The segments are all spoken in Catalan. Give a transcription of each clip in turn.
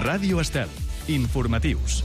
Ràdio Estel. Informatius.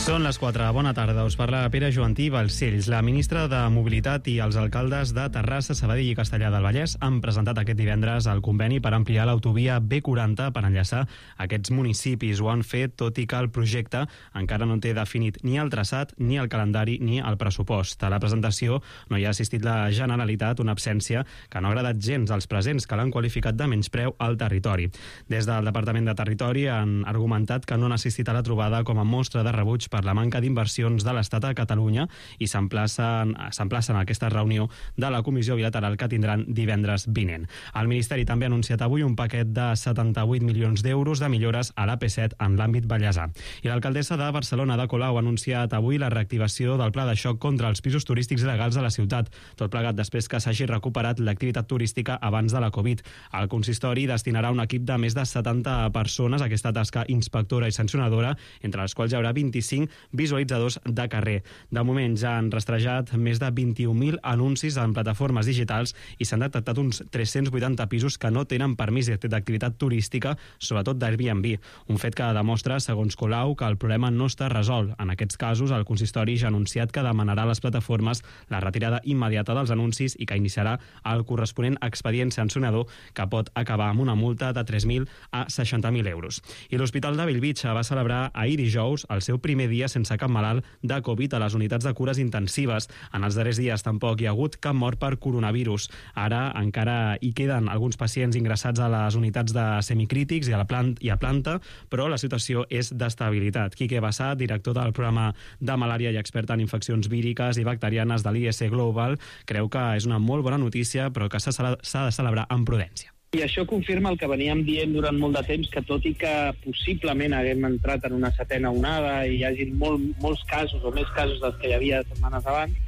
Són les 4. Bona tarda. Us parla Pere Joantí Balcells. La ministra de Mobilitat i els alcaldes de Terrassa, Sabadell i Castellar del Vallès han presentat aquest divendres el conveni per ampliar l'autovia B40 per enllaçar aquests municipis. Ho han fet tot i que el projecte encara no té definit ni el traçat, ni el calendari, ni el pressupost. A la presentació no hi ha assistit la Generalitat, una absència que no ha agradat gens als presents, que l'han qualificat de menyspreu al territori. Des del Departament de Territori han argumentat que no han assistit a la trobada com a mostra de rebuig per la manca d'inversions de l'Estat a Catalunya i s'emplacen a aquesta reunió de la comissió bilateral que tindran divendres vinent. El Ministeri també ha anunciat avui un paquet de 78 milions d'euros de millores a l'AP7 en l'àmbit vallesà. I l'alcaldessa de Barcelona, Ada Colau, ha anunciat avui la reactivació del pla de xoc contra els pisos turístics il·legals a la ciutat, tot plegat després que s'hagi recuperat l'activitat turística abans de la Covid. El consistori destinarà un equip de més de 70 persones a aquesta tasca inspectora i sancionadora, entre les quals hi haurà 25 visualitzadors de carrer. De moment ja han rastrejat més de 21.000 anuncis en plataformes digitals i s'han detectat uns 380 pisos que no tenen permís d'activitat turística, sobretot d'Airbnb. Un fet que demostra, segons Colau, que el problema no està resolt. En aquests casos, el consistori ja ha anunciat que demanarà a les plataformes la retirada immediata dels anuncis i que iniciarà el corresponent expedient sancionador que pot acabar amb una multa de 3.000 a 60.000 euros. I l'Hospital de Bellvitge va celebrar ahir dijous el seu primer dia sense cap malalt de Covid a les unitats de cures intensives. En els darrers dies tampoc hi ha hagut cap mort per coronavirus. Ara encara hi queden alguns pacients ingressats a les unitats de semicrítics i a planta, però la situació és d'estabilitat. Quique Bassat, director del programa de malària i expert en infeccions víriques i bacterianes de l'IS Global, creu que és una molt bona notícia, però que s'ha de celebrar amb prudència. I això confirma el que veníem dient durant molt de temps, que tot i que possiblement haguem entrat en una setena onada i hi hagi molts casos o més casos dels que hi havia setmanes abans,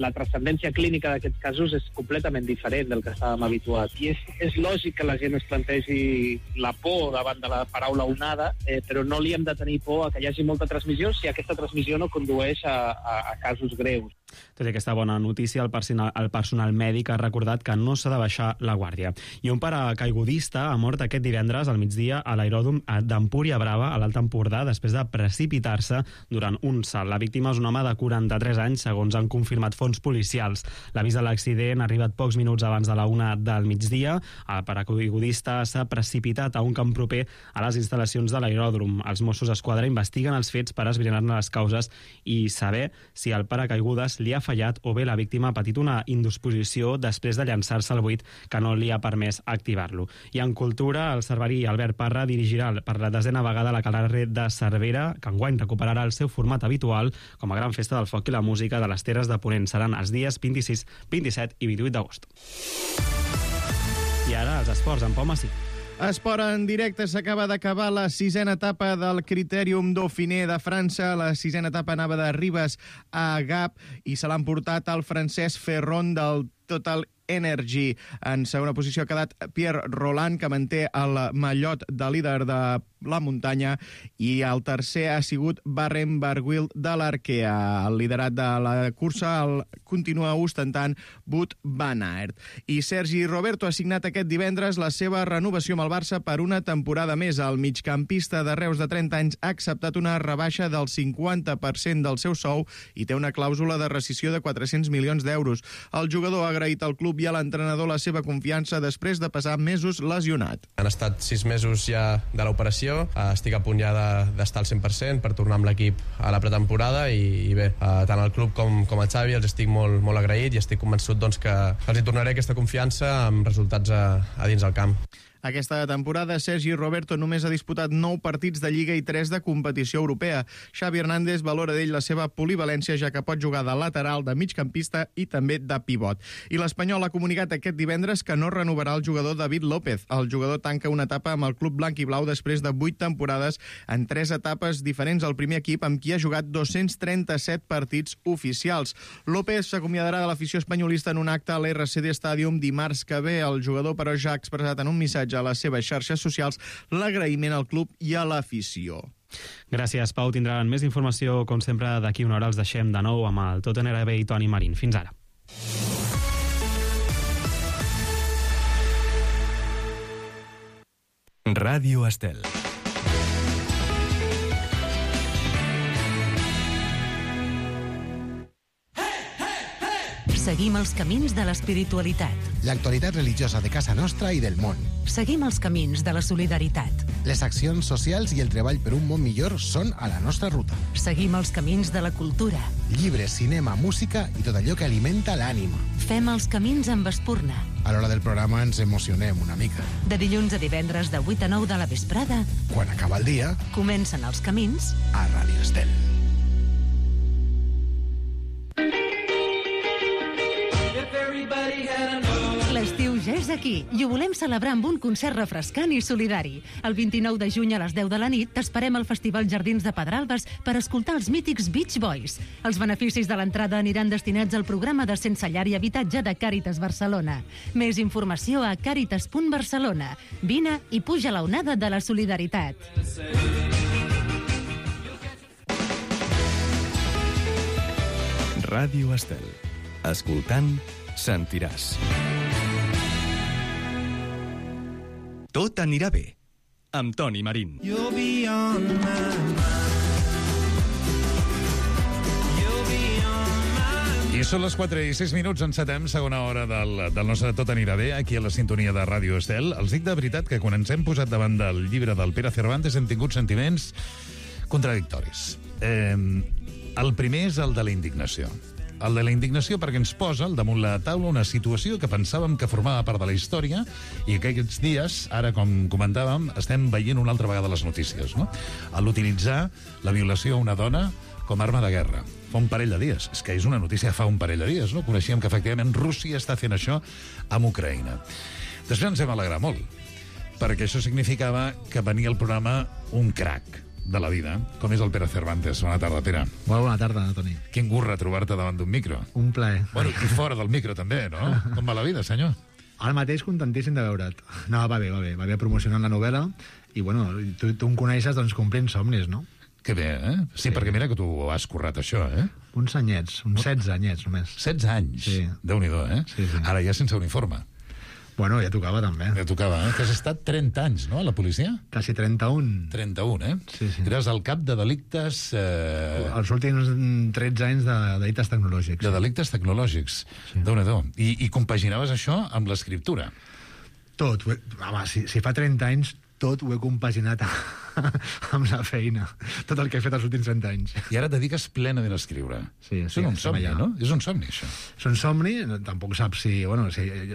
la transcendència clínica d'aquests casos és completament diferent del que estàvem habituats. I és lògic que la gent es plantegi la por davant de la paraula onada, però no li hem de tenir por a que hi hagi molta transmissió si aquesta transmissió no condueix a casos greus. Tot i aquesta bona notícia, el personal mèdic ha recordat que no s'ha de baixar la guàrdia. I un paracaigudista ha mort aquest divendres al migdia a l'aeròdrom d'Empúria Brava, a l'Alt Empordà, després de precipitar-se durant un salt. La víctima és un home de 43 anys, segons han confirmat fonts policials. L'avís de l'accident ha arribat pocs minuts abans de la 1 del migdia. El paracaigudista s'ha precipitat a un camp proper a les instal·lacions de l'aeròdrom. Els Mossos d'Esquadra investiguen els fets per esbrinar-ne les causes i saber si el paracaigudes li ha fallat o bé la víctima ha patit una indisposició després de llançar-se al buit que no li ha permès activar-lo. I en cultura, el cerverí Albert Parra dirigirà per la 10a vegada la Calarre de Cervera, que enguany recuperarà el seu format habitual com a gran festa del foc i la música de les Terres de Ponent. Seran els dies 26, 27 i 28 d'agost. I ara els esports, en Pau Massí. Esport en directe. S'acaba d'acabar la 6a etapa del Critérium Dauphiné de França. La 6a etapa anava de Ribes a Gap i se l'han portat al francès Ferron del Total Energy. En segona posició ha quedat Pierre Roland, que manté el mallot de líder de la muntanya, i el tercer ha sigut Barrem Barguil de l'Arkea. El liderat de la cursa el continua ostentant Wout van Aert. I Sergi Roberto ha signat aquest divendres la seva renovació amb el Barça per una temporada més. El migcampista de Reus de 30 anys ha acceptat una rebaixa del 50% del seu sou i té una clàusula de rescissió de 400 milions d'euros. El jugador ha agraït al club i a l'entrenador la seva confiança després de passar mesos lesionat. Han estat 6 mesos ja de l'operació. Estic a punt ja d'estar al 100% per tornar amb l'equip a la pretemporada i bé, tant al club com a Xavi els estic molt agraït i estic convençut que els hi tornaré aquesta confiança amb resultats a dins del camp. Aquesta temporada, Sergi Roberto només ha disputat 9 partits de Lliga i 3 de competició europea. Xavi Hernández valora d'ell la seva polivalència, ja que pot jugar de lateral, de migcampista i també de pivot. I l'Espanyol ha comunicat aquest divendres que no renovarà el jugador David López. El jugador tanca una etapa amb el club blanc i blau després de 8 temporades en 3 etapes diferents al primer equip, amb qui ha jugat 237 partits oficials. López s'acomiadarà de l'afició espanyolista en un acte a l'RCD Stadium dimarts que ve. El jugador, però, ja ha expressat en un missatge a les seves xarxes socials l'agraïment al club i a l'afició. Gràcies, Pau. Tindran més informació, com sempre, d'aquí una hora. Els deixem de nou amb el Tottenham RB i Toni Marín. Fins ara. Ràdio Estel. Seguim els camins de l'espiritualitat. L'actualitat religiosa de casa nostra i del món. Seguim els camins de la solidaritat. Les accions socials i el treball per un món millor són a la nostra ruta. Seguim els camins de la cultura. Llibres, cinema, música i tot allò que alimenta l'ànima. Fem els camins amb espurna. A l'hora del programa ens emocionem una mica. De dilluns a divendres de 8 a 9 de la vesprada, Quan acaba el dia, comencen els camins a Ràdio Estel. L'estiu ja és aquí i ho volem celebrar amb un concert refrescant i solidari. El 29 de juny a les 10 de la nit t'esperem al Festival Jardins de Pedralbes per escoltar els mítics Beach Boys. Els beneficis de l'entrada aniran destinats al programa de Sense Llar i Habitatge de Càritas Barcelona. Més informació a càritas.barcelona. Vine i puja la onada de la solidaritat. Ràdio Estel. Escoltant, sentiràs. Tot anirà bé, amb Toni Marín. I són les 4:06, encetem segona hora del nostre Tot anirà bé, aquí a la sintonia de Ràdio Estel. Els dic de veritat que quan ens hem posat davant del llibre del Pere Cervantes hem tingut sentiments contradictoris. El primer és el de la indignació. El de la indignació perquè ens posa al damunt la taula una situació que pensàvem que formava part de la història i que aquests dies, ara com comentàvem, estem veient una altra vegada les notícies, no? A l'utilitzar la violació a una dona com a arma de guerra. Fa un parell de dies. És que és una notícia fa un parell de dies, no? Coneixíem que efectivament Rússia està fent això amb Ucraïna. Després ens hem alegrat molt, perquè això significava que venia al programa un crac de la vida, com és el Pere Cervantes. Bona tarda, Pere. Molt bona tarda, Toni. Quin gust retrobar-te davant d'un micro. Un plaer. Bueno, i fora del micro també, no? Com va la vida, senyor? Ara mateix contentíssim de veure't. No, va bé. Va bé promocionant la novel·la i, bueno, tu em coneixes, doncs, complint somnis, no? Que bé, eh? Sí, perquè mira que tu has currat això, eh? Uns anyets, uns 16 anyets només. 16 anys? Sí. Déu-n'hi-do, eh? Sí. Ara ja sense uniforme. Bueno, ja tocava també. Ja tocava, eh? Que has estat 30 anys, no, a la policia? Quasi 31. 31, eh? Sí. Eres el cap de delictes... Els últims 13 anys de delictes tecnològics. De delictes tecnològics. Sí. Déu-n'hi-do. I compaginaves això amb l'escriptura? Tot. Home, si fa 30 anys, tot ho he compaginat amb la feina. Tot el que he fet els últims 30 anys. I ara et dediques plenament a escriure. Sí, és un somni, no? És un somni, això. És un somni, tampoc saps si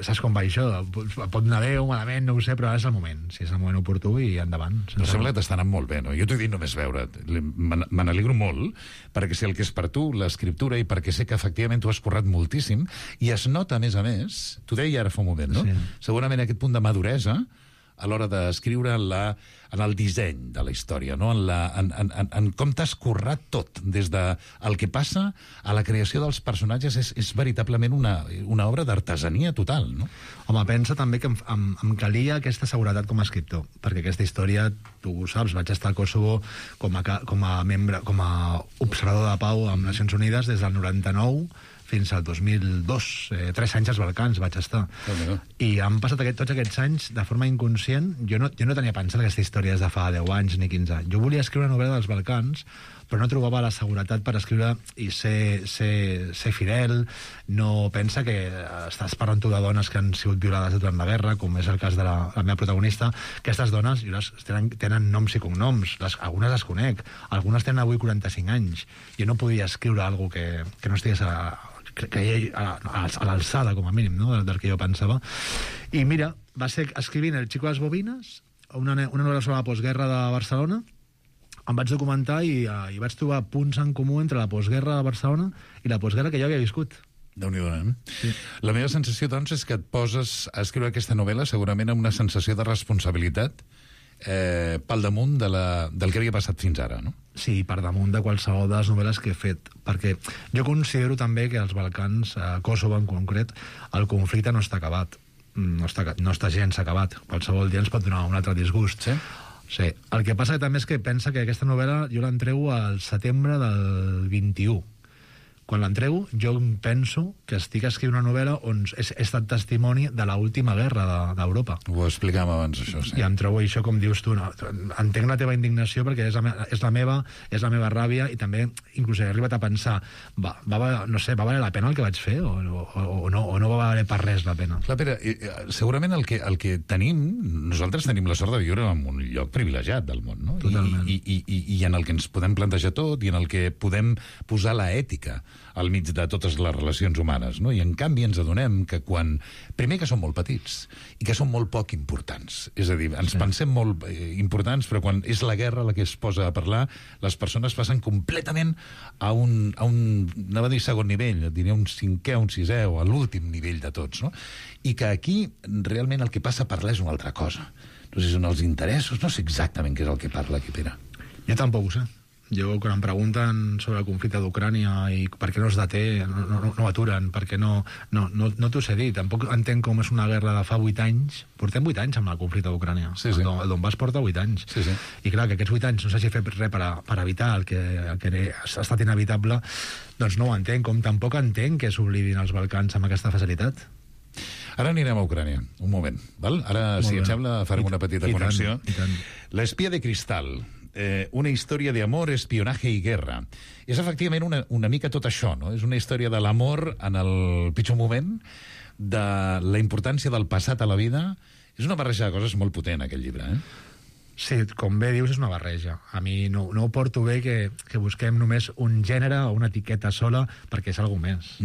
saps com va això. Pot anar bé o malament, no ho sé, però ara és el moment. Si és el moment oportú i endavant. No sembla que t'està anant molt bé, no? Jo t'ho he dit només veure't. Me n'alegro molt, perquè sé el que és per tu, l'escriptura, i perquè sé que efectivament tu has currat moltíssim, i es nota, a més, t'ho deia ara fa un moment, no? Sí. Segurament aquest punt de maduresa a l'hora d'escriure en el disseny de la història, no? En com t'has currat tot, des del que passa a la creació dels personatges, és veritablement una obra d'artesania total, no? Home, pensa també que em calia aquesta seguretat com a escriptor, perquè aquesta història, tu ho saps, vaig estar al Kosovo com a membre, com a observador de pau amb Nacions Unides des del 99 fins al 2002, 3 anys als Balcans vaig estar. I han passat tots aquests anys de forma inconscient. Jo no tenia pensat aquesta història des de fa 10 anys ni 15 anys. Jo volia escriure una novel·la dels Balcans, però no trobava la seguretat per escriure i ser fidel. No pensa que estàs parlant tu de dones que han sigut violades durant la guerra, com és el cas de la meva protagonista. Aquestes dones tenen noms i cognoms, algunes les conec, algunes tenen avui 45 anys. Jo no podia escriure alguna cosa que no estigués a l'alçada, com a mínim, no? del que jo pensava. I mira, va ser escrivint El Chico de les Bobines, una novel·la sobre la postguerra de Barcelona. Em vaig documentar i vaig trobar punts en comú entre la postguerra de Barcelona i la postguerra que jo havia viscut. Déu-n'hi-do, eh? Sí. La meva sensació, doncs, és que et poses a escriure aquesta novel·la segurament amb una sensació de responsabilitat pel damunt del que havia passat fins ara, no? Sí, per damunt de qualsevol de les novel·les que he fet, perquè jo considero també que als Balcans, a Kosovo en concret, el conflicte no està acabat, no està gens acabat. Qualsevol dia ens pot donar un altre disgust. Sí? Sí. El que passa també és que pensa que aquesta novel·la jo l'entrego al setembre del 21, quan l'entrego, jo penso que estic escrivint una novel·la on he estat testimoni de l'última guerra d'Europa. Ho explicàvem abans, això, sí. I em trobo això, com dius tu, no? Entenc la teva indignació perquè és la meva ràbia, i també inclús he arribat a pensar va valer la pena el que vaig fer o no va valer per res la pena. Clar, Pere, segurament el que tenim, nosaltres tenim la sort de viure en un lloc privilegiat del món, no? Totalment. I en el que ens podem plantejar tot i en el que podem posar la ètica al mig de totes les relacions humanes, no? I en canvi ens adonem que primer que som molt petits i que som molt poc importants, és a dir, ens pensem molt importants, però quan és la guerra la que es posa a parlar, les persones passen completament a un anava a dir segon nivell, diria un cinquè, un sisè o a l'últim nivell de tots, no? I que aquí realment el que passa a parlar és una altra cosa. No sé si són els interessos, no sé exactament què és el que parla aquí, Pere. Jo tampoc ho sé. Jo, quan em pregunten sobre el conflicte d'Ucrània i per què no es deté, no aturen, perquè no t'ho sé dir. Tampoc entenc com és una guerra de fa 8 anys. Portem 8 anys amb el conflicte d'Ucrània. Sí. El Donbass porta 8 anys. Sí. I clar, que aquests 8 anys no s'hagi fet res per evitar el que ha estat inevitable, doncs no ho entenc. Com tampoc entenc que s'oblidin els Balcans amb aquesta facilitat. Ara anirem a Ucrània, un moment, val? Ara, si et sembla, farem una petita connexió. L'espia de cristal, una història d'amor, espionatge i guerra. És efectivament una mica tot això, no? És una història de l'amor en el pitjor moment, de la importància del passat a la vida. És una barreja de coses molt potent, aquest llibre, Sí, com bé dius, és una barreja. A mi no ho porto bé que busquem només un gènere o una etiqueta sola, perquè és alguna més.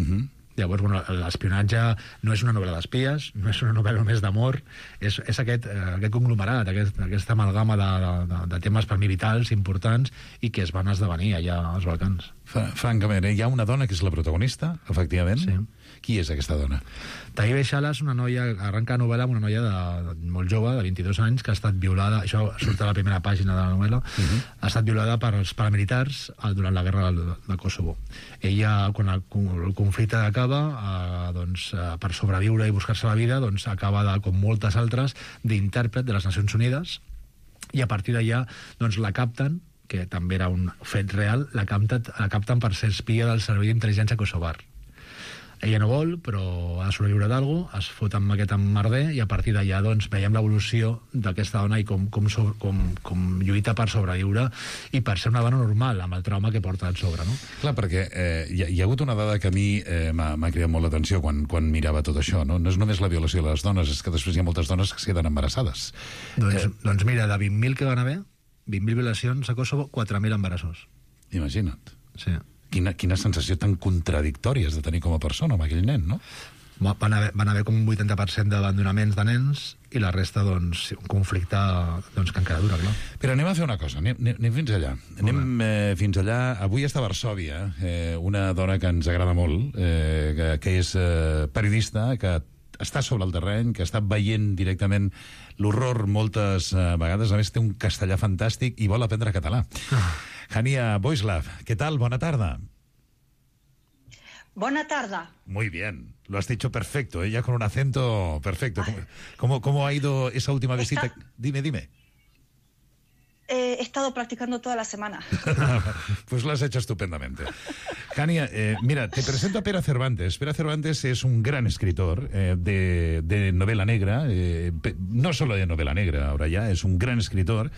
Llavors, l'espionatge no és una novel·la d'espies, no és una novel·la només d'amor, és aquest conglomerat, aquesta amalgama de temes per mi vitals, importants, i que es van esdevenir allà als Balcans. Francament, hi ha una dona que és la protagonista, efectivament. Sí. Qui és aquesta dona? Taïbe Shala és una noia, arrenca la novel·la amb una noia molt jove, de 22 anys, que ha estat violada, això surt a la primera pàgina de la novel·la, ha estat violada pels paramilitars durant la guerra de Kosovo. Ella, quan el conflicte acaba, per sobreviure i buscar-se la vida, acaba, com moltes altres, d'intèrpret de les Nacions Unides, i a partir d'allà la capten, que també era un fet real, la capten per ser espia del Servei d'Intel·ligència Kosovar. Ella no vol, però ha de sobreviure d'algú, es fot amb aquest emmerder, i a partir d'allà veiem l'evolució d'aquesta dona i com lluita per sobreviure i per ser una dona normal, amb el trauma que porta al sobre, no? Clar, perquè hi ha hagut una dada que a mi m'ha cridat molt l'atenció quan mirava tot això, no? No és només la violació de les dones, és que després hi ha moltes dones que es queden embarassades. Doncs mira, de 20.000 que van haver, 20.000 violacions a Kosovo, 4.000 embarassos. Imagina't. Sí. Quina sensació tan contradictòria has de tenir com a persona amb aquell nen, no? Van haver com un 80% d'abandonaments de nens i la resta, un conflicte que encara dura, clar. Però anem a fer una cosa, anem fins allà. Anem fins allà. Avui està a Varsòvia, una dona que ens agrada molt, que és periodista, que està sobre el terreny, que està veient directament l'horror moltes vegades. A més, té un castellà fantàstic i vol aprendre català. Hania Boislav, ¿qué tal? Buena tarde. Buena tarde. Muy bien, lo has dicho perfecto, ya con un acento perfecto. ¿Cómo ha ido esa última visita? Dime. He estado practicando toda la semana. Pues lo has hecho estupendamente. Hania, mira, te presento a Pere Cervantes. Pere Cervantes es un gran escritor de novela negra, no solo de novela negra, ahora ya, es un gran escritor.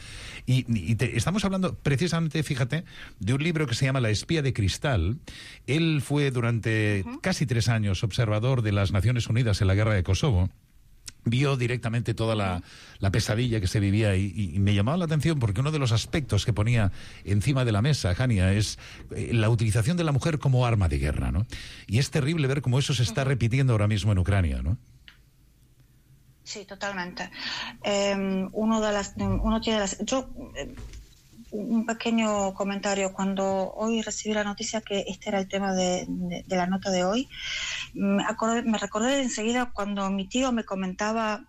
Y estamos hablando precisamente, fíjate, de un libro que se llama La espía de cristal. Él fue durante casi 3 años observador de las Naciones Unidas en la guerra de Kosovo. Vio directamente toda la pesadilla que se vivía y me llamaba la atención porque uno de los aspectos que ponía encima de la mesa, Hania, es la utilización de la mujer como arma de guerra, ¿no? Y es terrible ver cómo eso se está repitiendo ahora mismo en Ucrania, ¿no? Sí, totalmente. Un pequeño comentario. Cuando hoy recibí la noticia que este era el tema de la nota de hoy, me recordé enseguida cuando mi tío me comentaba,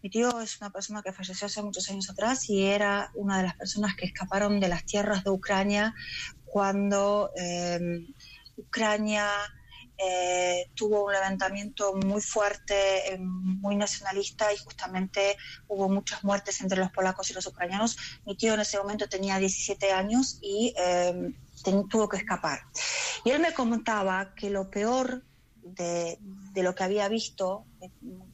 mi tío es una persona que falleció hace muchos años atrás y era una de las personas que escaparon de las tierras de Ucrania cuando Ucrania tuvo un levantamiento muy fuerte, muy nacionalista, y justamente hubo muchas muertes entre los polacos y los ucranianos. Mi tío en ese momento tenía 17 años y tuvo que escapar. Y él me comentaba que lo peor de lo que había visto,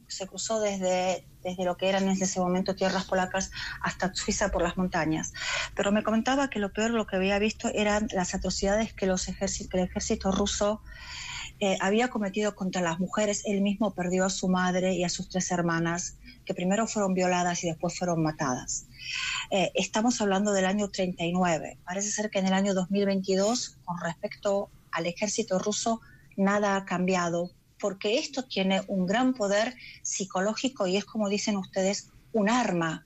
se cruzó desde lo que eran en ese momento tierras polacas hasta Suiza por las montañas, pero me comentaba que lo peor de lo que había visto eran las atrocidades que el ejército ruso había cometido contra las mujeres. Él mismo perdió a su madre y a sus 3 hermanas, que primero fueron violadas y después fueron matadas. Estamos hablando del año 39. Parece ser que en el año 2022, con respecto al ejército ruso, nada ha cambiado, porque esto tiene un gran poder psicológico y es, como dicen ustedes, un arma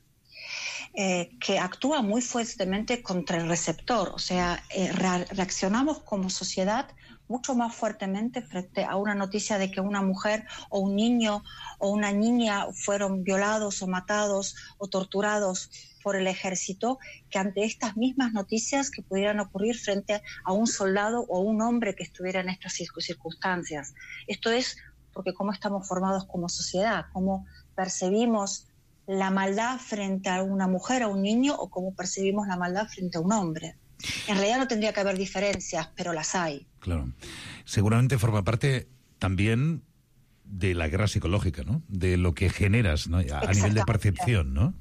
que actúa muy fuertemente contra el receptor. O sea, reaccionamos como sociedad mucho más fuertemente frente a una noticia de que una mujer o un niño o una niña fueron violados o matados o torturados por el ejército, que ante estas mismas noticias que pudieran ocurrir frente a un soldado o un hombre que estuviera en estas circunstancias. Esto es porque cómo estamos formados como sociedad, cómo percibimos la maldad frente a una mujer o un niño o cómo percibimos la maldad frente a un hombre. En realidad no tendría que haber diferencias, pero las hay. Claro. Seguramente forma parte también de la guerra psicológica, ¿no? De lo que generas, ¿no? A nivel de percepción, ¿no?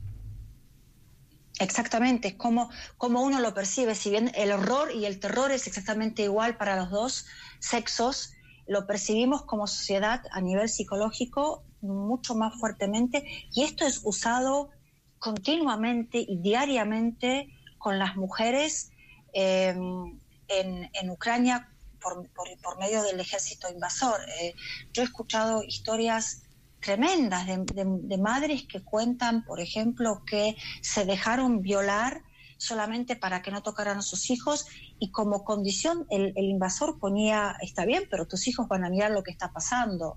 Exactamente, como uno lo percibe. Si bien el horror y el terror es exactamente igual para los dos sexos, lo percibimos como sociedad a nivel psicológico mucho más fuertemente, y esto es usado continuamente y diariamente con las mujeres en Ucrania por medio del ejército invasor. Yo he escuchado historias tremendas de madres que cuentan, por ejemplo, que se dejaron violar solamente para que no tocaran a sus hijos, y como condición el invasor ponía, está bien, pero tus hijos van a mirar lo que está pasando.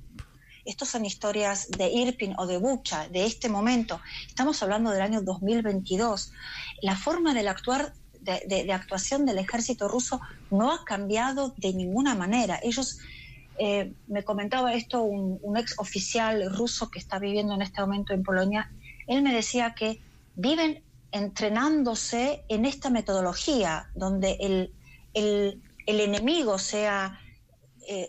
Estos son historias de Irpin o de Bucha, de este momento. Estamos hablando del año 2022. La forma de actuación del ejército ruso no ha cambiado de ninguna manera. Ellos, me comentaba esto un ex oficial ruso que está viviendo en este momento en Polonia. Él me decía que viven entrenándose en esta metodología, donde el enemigo sea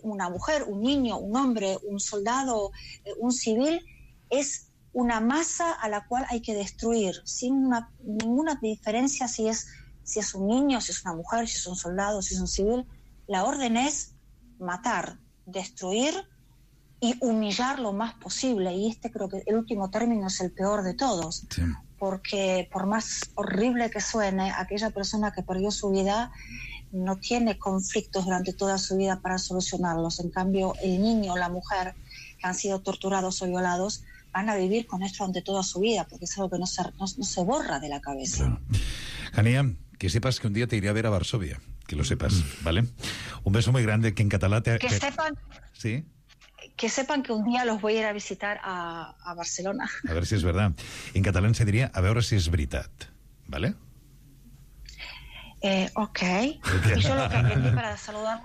una mujer, un niño, un hombre, un soldado, un civil, es una masa a la cual hay que destruir, sin ninguna diferencia si es un niño, si es una mujer, si es un soldado, si es un civil. La orden es matar, destruir y humillar lo más posible. Y creo que el último término es el peor de todos. Sí. Porque por más horrible que suene, aquella persona que perdió su vida no tiene conflictos durante toda su vida para solucionarlos. En cambio, el niño o la mujer que han sido torturados o violados van a vivir con esto durante toda su vida, porque es algo que no se borra de la cabeza. Claro. Jania, que sepas que un día te iré a ver a Varsovia, que lo sepas, ¿vale? Un beso muy grande, que en catalán sepan... ¿Sí? Que sepan que un día los voy a ir a visitar a Barcelona. A ver si es verdad. En catalán se diría a veure si és veritat, ¿vale? Ok. Y yo lo que aprendí para saludar...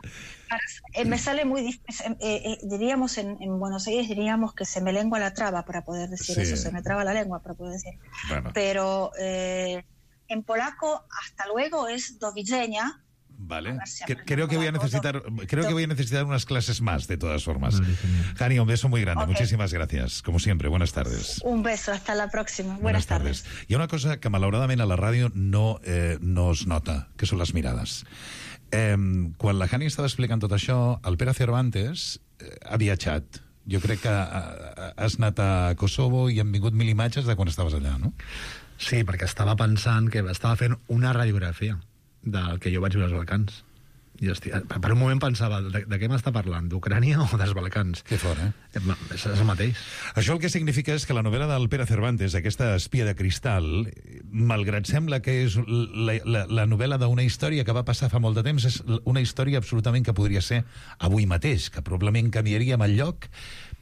me sale muy difícil. Diríamos en Buenos Aires, diríamos que se me lengua la traba para poder decir eso. Se me traba la lengua para poder decir. Bueno. Pero en polaco, hasta luego es do widzenia. Vale. Creo que voy a necesitar unas clases más, de todas formas. Jania, un beso muy grande. Okay. Muchísimas gracias. Como siempre, buenas tardes. Un beso, hasta la próxima. Buenas tardes. Hi ha una cosa que malauradament a la ràdio no es nota, que són les mirades. Quan la Jania estava explicant tot això, el Pere Cervantes ha viatjat. Jo crec que has anat a Kosovo i han vingut 1000 imatges de quan estaves allà, no? Sí, perquè estava pensant que estava fent una radiografia del que jo vaig veure als Balcans. I per un moment pensava, de què m'està parlant? D'Ucrània o dels Balcans? Que fort, eh? És el mateix. Això el que significa és que la novel·la del Pere Cervantes, aquesta espia de cristal, malgrat sembla que és la novel·la d'una història que va passar fa molt de temps, és una història absolutament que podria ser avui mateix, que probablement canviaríem el lloc,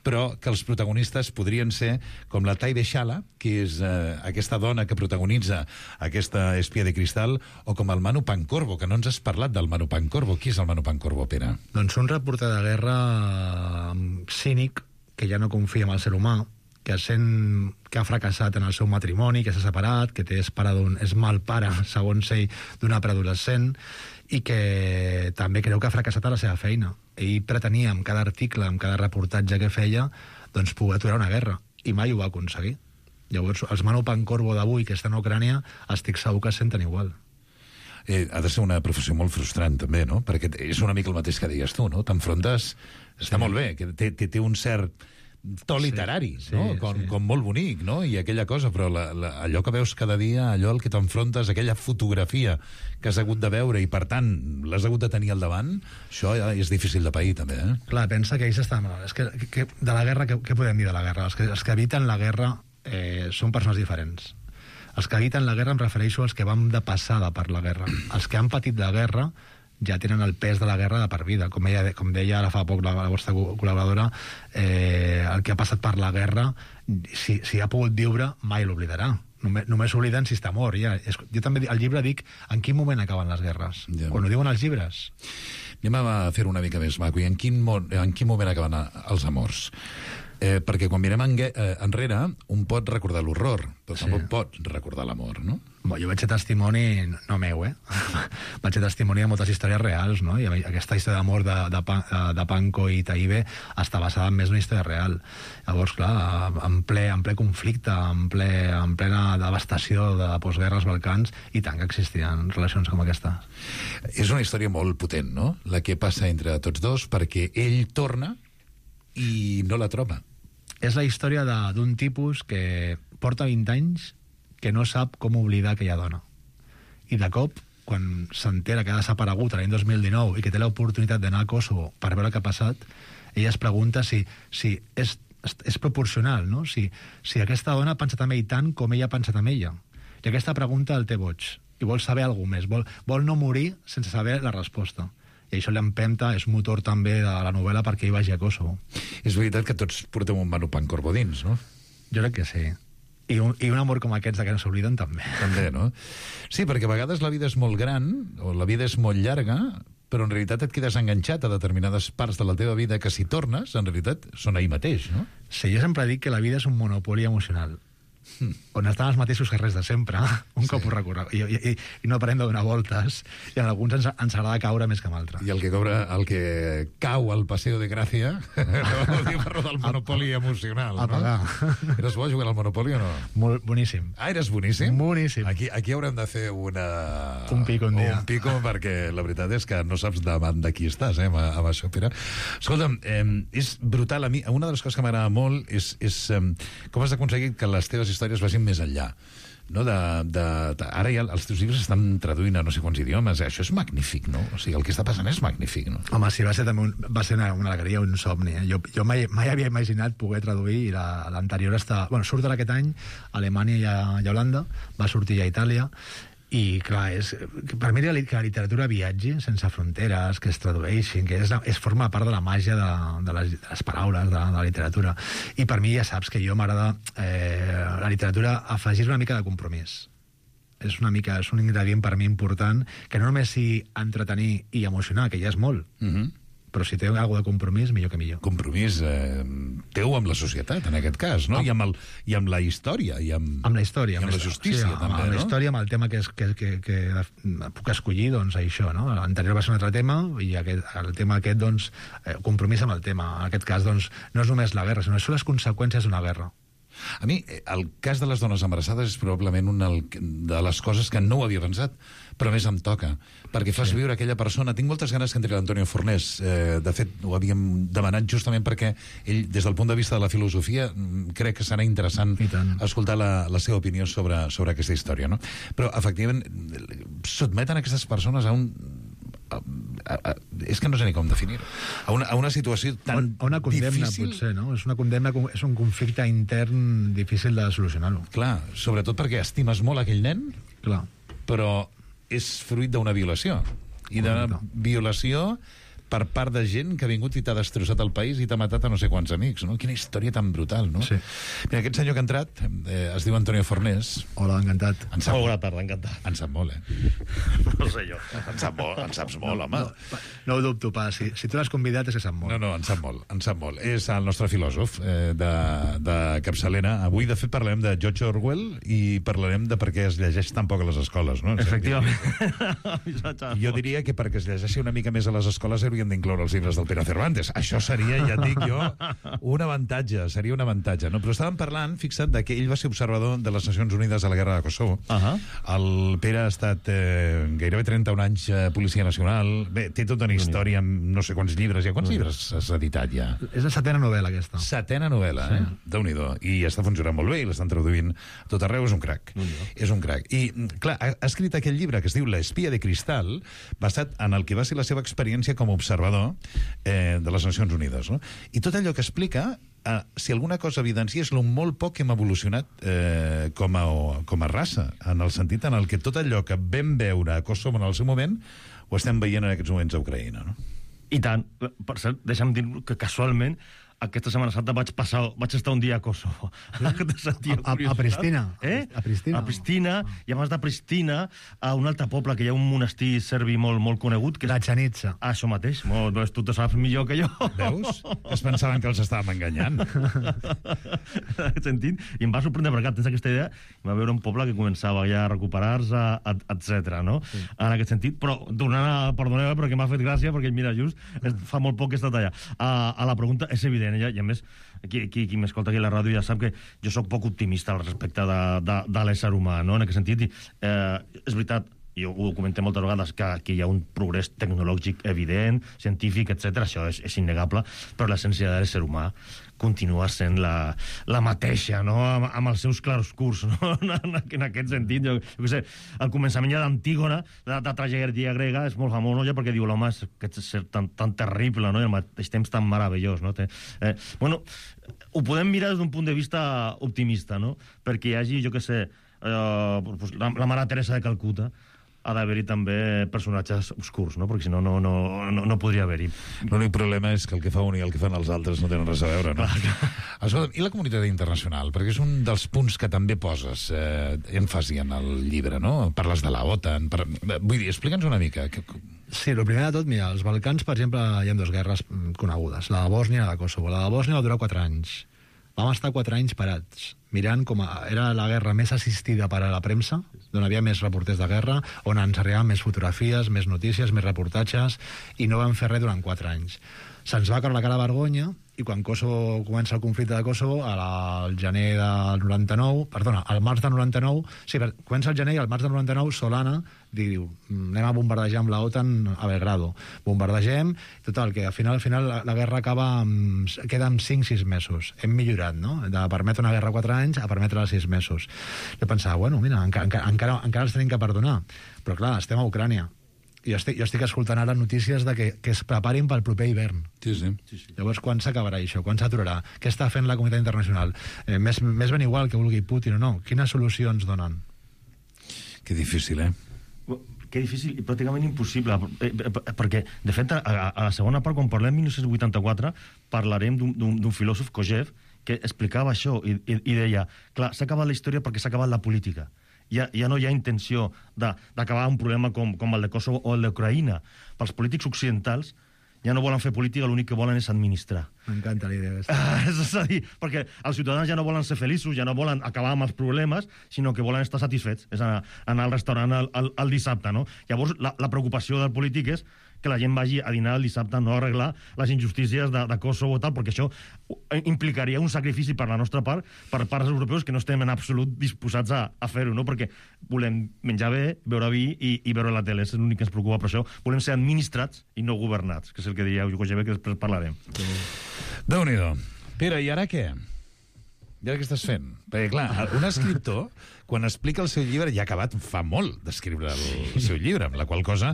però que els protagonistes podrien ser com la Taide Shala, que és aquesta dona que protagonitza aquesta espia de cristal, o com el Manu Pancorbo, que no ens has parlat del Manu Pancorbo. Qui és el Manu Pancorbo, Pere? Doncs un reporter de guerra cínic, que ja no confia en el ser humà, que sent que ha fracassat en el seu matrimoni, que s'ha separat, que és mal pare, segons ell, d'una preadolescent, i que també creu que ha fracassat a la seva feina. Ell pretenia, amb cada article, amb cada reportatge que feia, doncs poder aturar una guerra, i mai ho va aconseguir. Llavors, els Manu Pancorbo d'avui, que estan a Ucrània, estic segur que es senten igual. Ha de ser una professió molt frustrant, també, no? Perquè és una mica el mateix que deies tu, no? T'enfrontes... Està molt bé, que té un cert to literari, no? Com molt bonic, no? I aquella cosa, però allò que veus cada dia, allò al que t'enfrontes, aquella fotografia que has hagut de veure i, per tant, l'has hagut de tenir al davant, això és difícil de pair, també, eh? Clar, pensa que ells estan... És que de la guerra, què podem dir de la guerra? Els que eviten la guerra són persones diferents. Els que eviten la guerra em refereixo als que vam de passada per la guerra. Els que han patit la guerra ja tenen el pes de la guerra de per vida. Com deia ara fa poc la vostra col·laboradora, el que ha passat per la guerra, si ha pogut viure, mai l'oblidarà. Només s'obliden si està mort. Ja. Jo també al llibre dic en quin moment acaben les guerres. Ja. Quan ho diuen els llibres. Anem a fer una mica més maco. I en quin moment acaben els amors? Perquè quan mirem enrere, un pot recordar l'horror, però tampoc pot recordar l'amor, no? Jo vaig ser testimoni, no meu, vaig ser testimoni de moltes històries reals, no? I aquesta història d'amor de Panko i Taïbe està basada en més una història real. Llavors, clar, en ple conflicte, en plena devastació de postguerra als Balcans, i tant que existien relacions com aquesta. És una història molt potent, no? La que passa entre tots dos, perquè ell torna i no la troba. És la història d'un tipus que porta 20 anys que no sap com oblidar aquella dona. I de cop, quan s'entera que ha desaparegut l'any 2019 i que té l'oportunitat d'anar a Kosovo per veure què ha passat, ella es pregunta si és proporcional, no? Si aquesta dona ha pensat en ell tant com ella ha pensat en ella. I aquesta pregunta el té boig. I vol saber alguna més. Vol no morir sense saber la resposta. I això l'empenta, és motor també de la novel·la perquè ell vagi a Kosovo. És veritat que tots portem un Manu Pancorbo dins, no? Jo crec que sí. I un amor com aquests que no s'obliden també. També, no? Sí, perquè a vegades la vida és molt gran, o la vida és molt llarga, però en realitat et quedes enganxat a determinades parts de la teva vida que si tornes, en realitat són ahir mateix, no? Sí, jo sempre dic que la vida és un monopoli emocional. On estan els mateixos carrers de sempre, cop ho recorre, i no parem de donar voltes, i en alguns ens agrada caure més que en altres. I el que cau al Paseo de Gràcia no diu per del monopoli emocional, no? Eres bo jugant al monopoli o no? Molt boníssim. Ah, eres boníssim? Boníssim. Aquí haurem de fer un pico un dia. Un pico, perquè la veritat és que no saps davant de qui estàs, amb això, Pere. Escolta'm, és brutal. A mi, una de les coses que m'agrada molt és com has aconseguit que les teves històries vagin més enllà, no? Ara ja els teus llibres estan traduint a no sé quants idiomes. Això és magnífic, no? O sigui, el que està passant és magnífic, no? Home, sí, va ser una alegria, un somni. Jo mai havia imaginat poder traduir, i l'anterior surt aquest any a Alemanya i a Holanda, va sortir a Itàlia, i clar, per mi que la literatura viatgi sense fronteres, que es tradueixin, que forma part de la màgia de les paraules, de la literatura. I per mi ja saps que jo m'agrada la literatura afegir una mica de compromís. És un ingredient per mi important, que no només sigui entretenir i emocionar, que ja és molt, però si té alguna de compromís, millor que millor. Compromís teu amb la societat, en aquest cas, no? I amb la història. Amb la història. I amb la justícia, també, no? Amb la història, amb el tema que puc escollir, doncs això, no? L'anterior va ser un altre tema, i el tema aquest, doncs, compromís amb el tema. En aquest cas, doncs, no és només la guerra, sinó són les conseqüències d'una guerra. A mi, el cas de les dones embarassades és probablement una de les coses que no ho havia pensat, però més em toca, perquè fas viure aquella persona. Tinc moltes ganes que entri l'Antonio Fornés. De fet, ho havíem demanat justament perquè ell, des del punt de vista de la filosofia, crec que serà interessant escoltar la seva opinió sobre aquesta història, no? Però, efectivament, sotmeten aquestes persones a un... és que no sé ni com definir-ho, a una situació tan difícil. A una condemna, potser, no? És una condemna, és un conflicte intern difícil de solucionar-ho. Clar, sobretot perquè estimes molt aquell nen, clar, però és fruit d'una violació. I d'una violació per part de gent que ha vingut i t'ha destrossat el país i t'ha matat a no sé quants amics, no? Quina història tan brutal, no? Sí. Mira, aquest senyor que ha entrat es diu Antonio Fornés. Hola, encantat. Bona tarda, encantat. En sap molt, No sé jo. En saps molt, home. No ho dubto pas. Si tu l'has convidat és que sap molt. No, en sap molt. És el nostre filòsof de capçalera. Avui, de fet, parlarem de George Orwell i parlarem de per què es llegeix tan poc a les escoles, no? Efectivament. Jo diria que perquè es llegeixi una mica més a les escoles haurien d'incloure els llibres del Pere Cervantes. Això seria, ja et dic jo, un avantatge, no? Però estàvem parlant, fixa't, que ell va ser observador de les Nacions Unides a la guerra de Kosovo. El Pere ha estat gairebé 31 anys policia nacional. Bé, té tota una història amb no sé quants llibres. Quants llibres has editat ja? És la 7ª novel·la, aquesta. 7ª novel·la, sí. Déu-n'hi-do. I està funcionant molt bé i l'estan traduint a tot arreu. És un crac. És un crac. I, clar, ha escrit aquell llibre que es diu L'espia de cristal, basat en el que va ser la seva experiència com a observador de les Nacions Unides, no? I tot allò que explica, si alguna cosa evidencia, és lo molt poc que hem evolucionat com a raça, en el sentit en el que tot allò que vam veure a Kosovo en el seu moment ho estem veient en aquests moments a Ucraïna, no? I tant. Per cert, deixa'm dir que casualment aquesta Setmana Santa vaig estar un dia a Kosovo. A Pristina. A Pristina. I abans de Pristina, a un altre poble que hi ha un monestir serbi molt conegut. La Chanitsa. Això mateix. Tu te saps millor que jo. Veus? Es pensaven que els estàvem enganyant. En aquest sentit. I em va sorprendre perquè tens aquesta idea. Hi va veure un poble que començava ja a recuperar-se, etc. No? Sí. En aquest sentit. Però, perdoneu, però que m'ha fet gràcia, perquè mira, just fa molt poc que he estat allà. A la pregunta és evident. I a més, qui m'escolta aquí a la ràdio ja sap que jo sóc poc optimista al respecte de l'ésser humà, no? En aquest sentit, és veritat, jo ho comentem moltes vegades, que hi ha un progrés tecnològic evident, científic, etc. Això és innegable, però l'essència de l'ésser humà continua sent la mateixa, no? Amb els seus claroscurs, no? En aquest sentit, jo què sé, el començament ja d'Antígona, de tragèdia grega, és molt famós, no? Ja perquè diu l'home és tan terrible, no? I al mateix temps tan meravellós, no? Bueno, ho podem mirar des d'un punt de vista optimista, no? Perquè hi hagi, jo què sé, la Mare Teresa de Calcuta, ha d'haver-hi també personatges obscurs, no? Perquè si no, no podria haver-hi. L'únic problema és que el que fa un i el que fan els altres no tenen res a veure, no? Escolta'm, i la comunitat internacional? Perquè és un dels punts que també poses èmfasi en el llibre, no? Parles de la OTAN. Vull dir, explica'ns una mica. Sí, el primer de tot, mira, als Balcans, per exemple, hi ha dues guerres conegudes, la de Bòsnia i la de Kosovo. La de Bòsnia va durar 4 anys. Vam estar 4 anys parats, mirant com era la guerra més assistida per a la premsa, on havia més reporters de guerra, on ens arribaven més fotografies, més notícies, més reportatges, i no vam fer res durant 4 anys. Se'ns va caure la cara de vergonya, i quan Kosovo comença el conflicte de Kosovo, al gener del 99, perdona, al març del 99, sí, comença el gener i al març del 99 Solana diu, anem a bombardejar amb la OTAN a Belgrado. Bombardegem, total, que al final la guerra queda amb 5-6 mesos. Hem millorat, no? De permetre una guerra 4 anys a permetre-la 6 mesos. Jo pensava, bueno, mira, encara els tenim que perdonar. Però clar, estem a Ucrània. Jo estic escoltant ara notícies de que es preparin pel proper hivern. Sí. Llavors, quan s'acabarà això? Quan s'aturarà? Què està fent la comunitat internacional? Més ben igual que vulgui Putin o no. Quines solucions donen? Que difícil, Que difícil i pràcticament impossible, perquè, de fet, a la segona part, quan parlem de 1984, parlarem d'un filòsof, Kojev, que explicava això i deia, clar, s'ha acabat la història perquè s'ha acabat la política. Ja no hi ha intenció d'acabar un problema com el de Kosovo o el d'Ucraïna. Pels polítics occidentals ja no volen fer política, l'únic que volen és administrar. M'encanta la idea. És a dir, perquè els ciutadans ja no volen ser feliços, ja no volen acabar amb els problemes, sinó que volen estar satisfets. És anar al restaurant el dissabte, no? Llavors, la preocupació del polític és que la gent vagi a dinar el dissabte, no a arreglar les injustícies de Kosovo, tal, perquè això implicaria un sacrifici per la nostra part, per parts europeus que no estem en absolut disposats a fer-ho, no? Perquè volem menjar bé, beure vi i veure la tele, és l'únic que ens preocupa per això. Volem ser administrats i no governats, que és el que deia Eugenio Kojev, que després parlarem. Déu-n'hi-do. Pere, i ara què? I ara què estàs fent? Perquè, clar, un escriptor, quan explica el seu llibre, ja ha acabat fa molt d'escriure el seu llibre, amb la qual cosa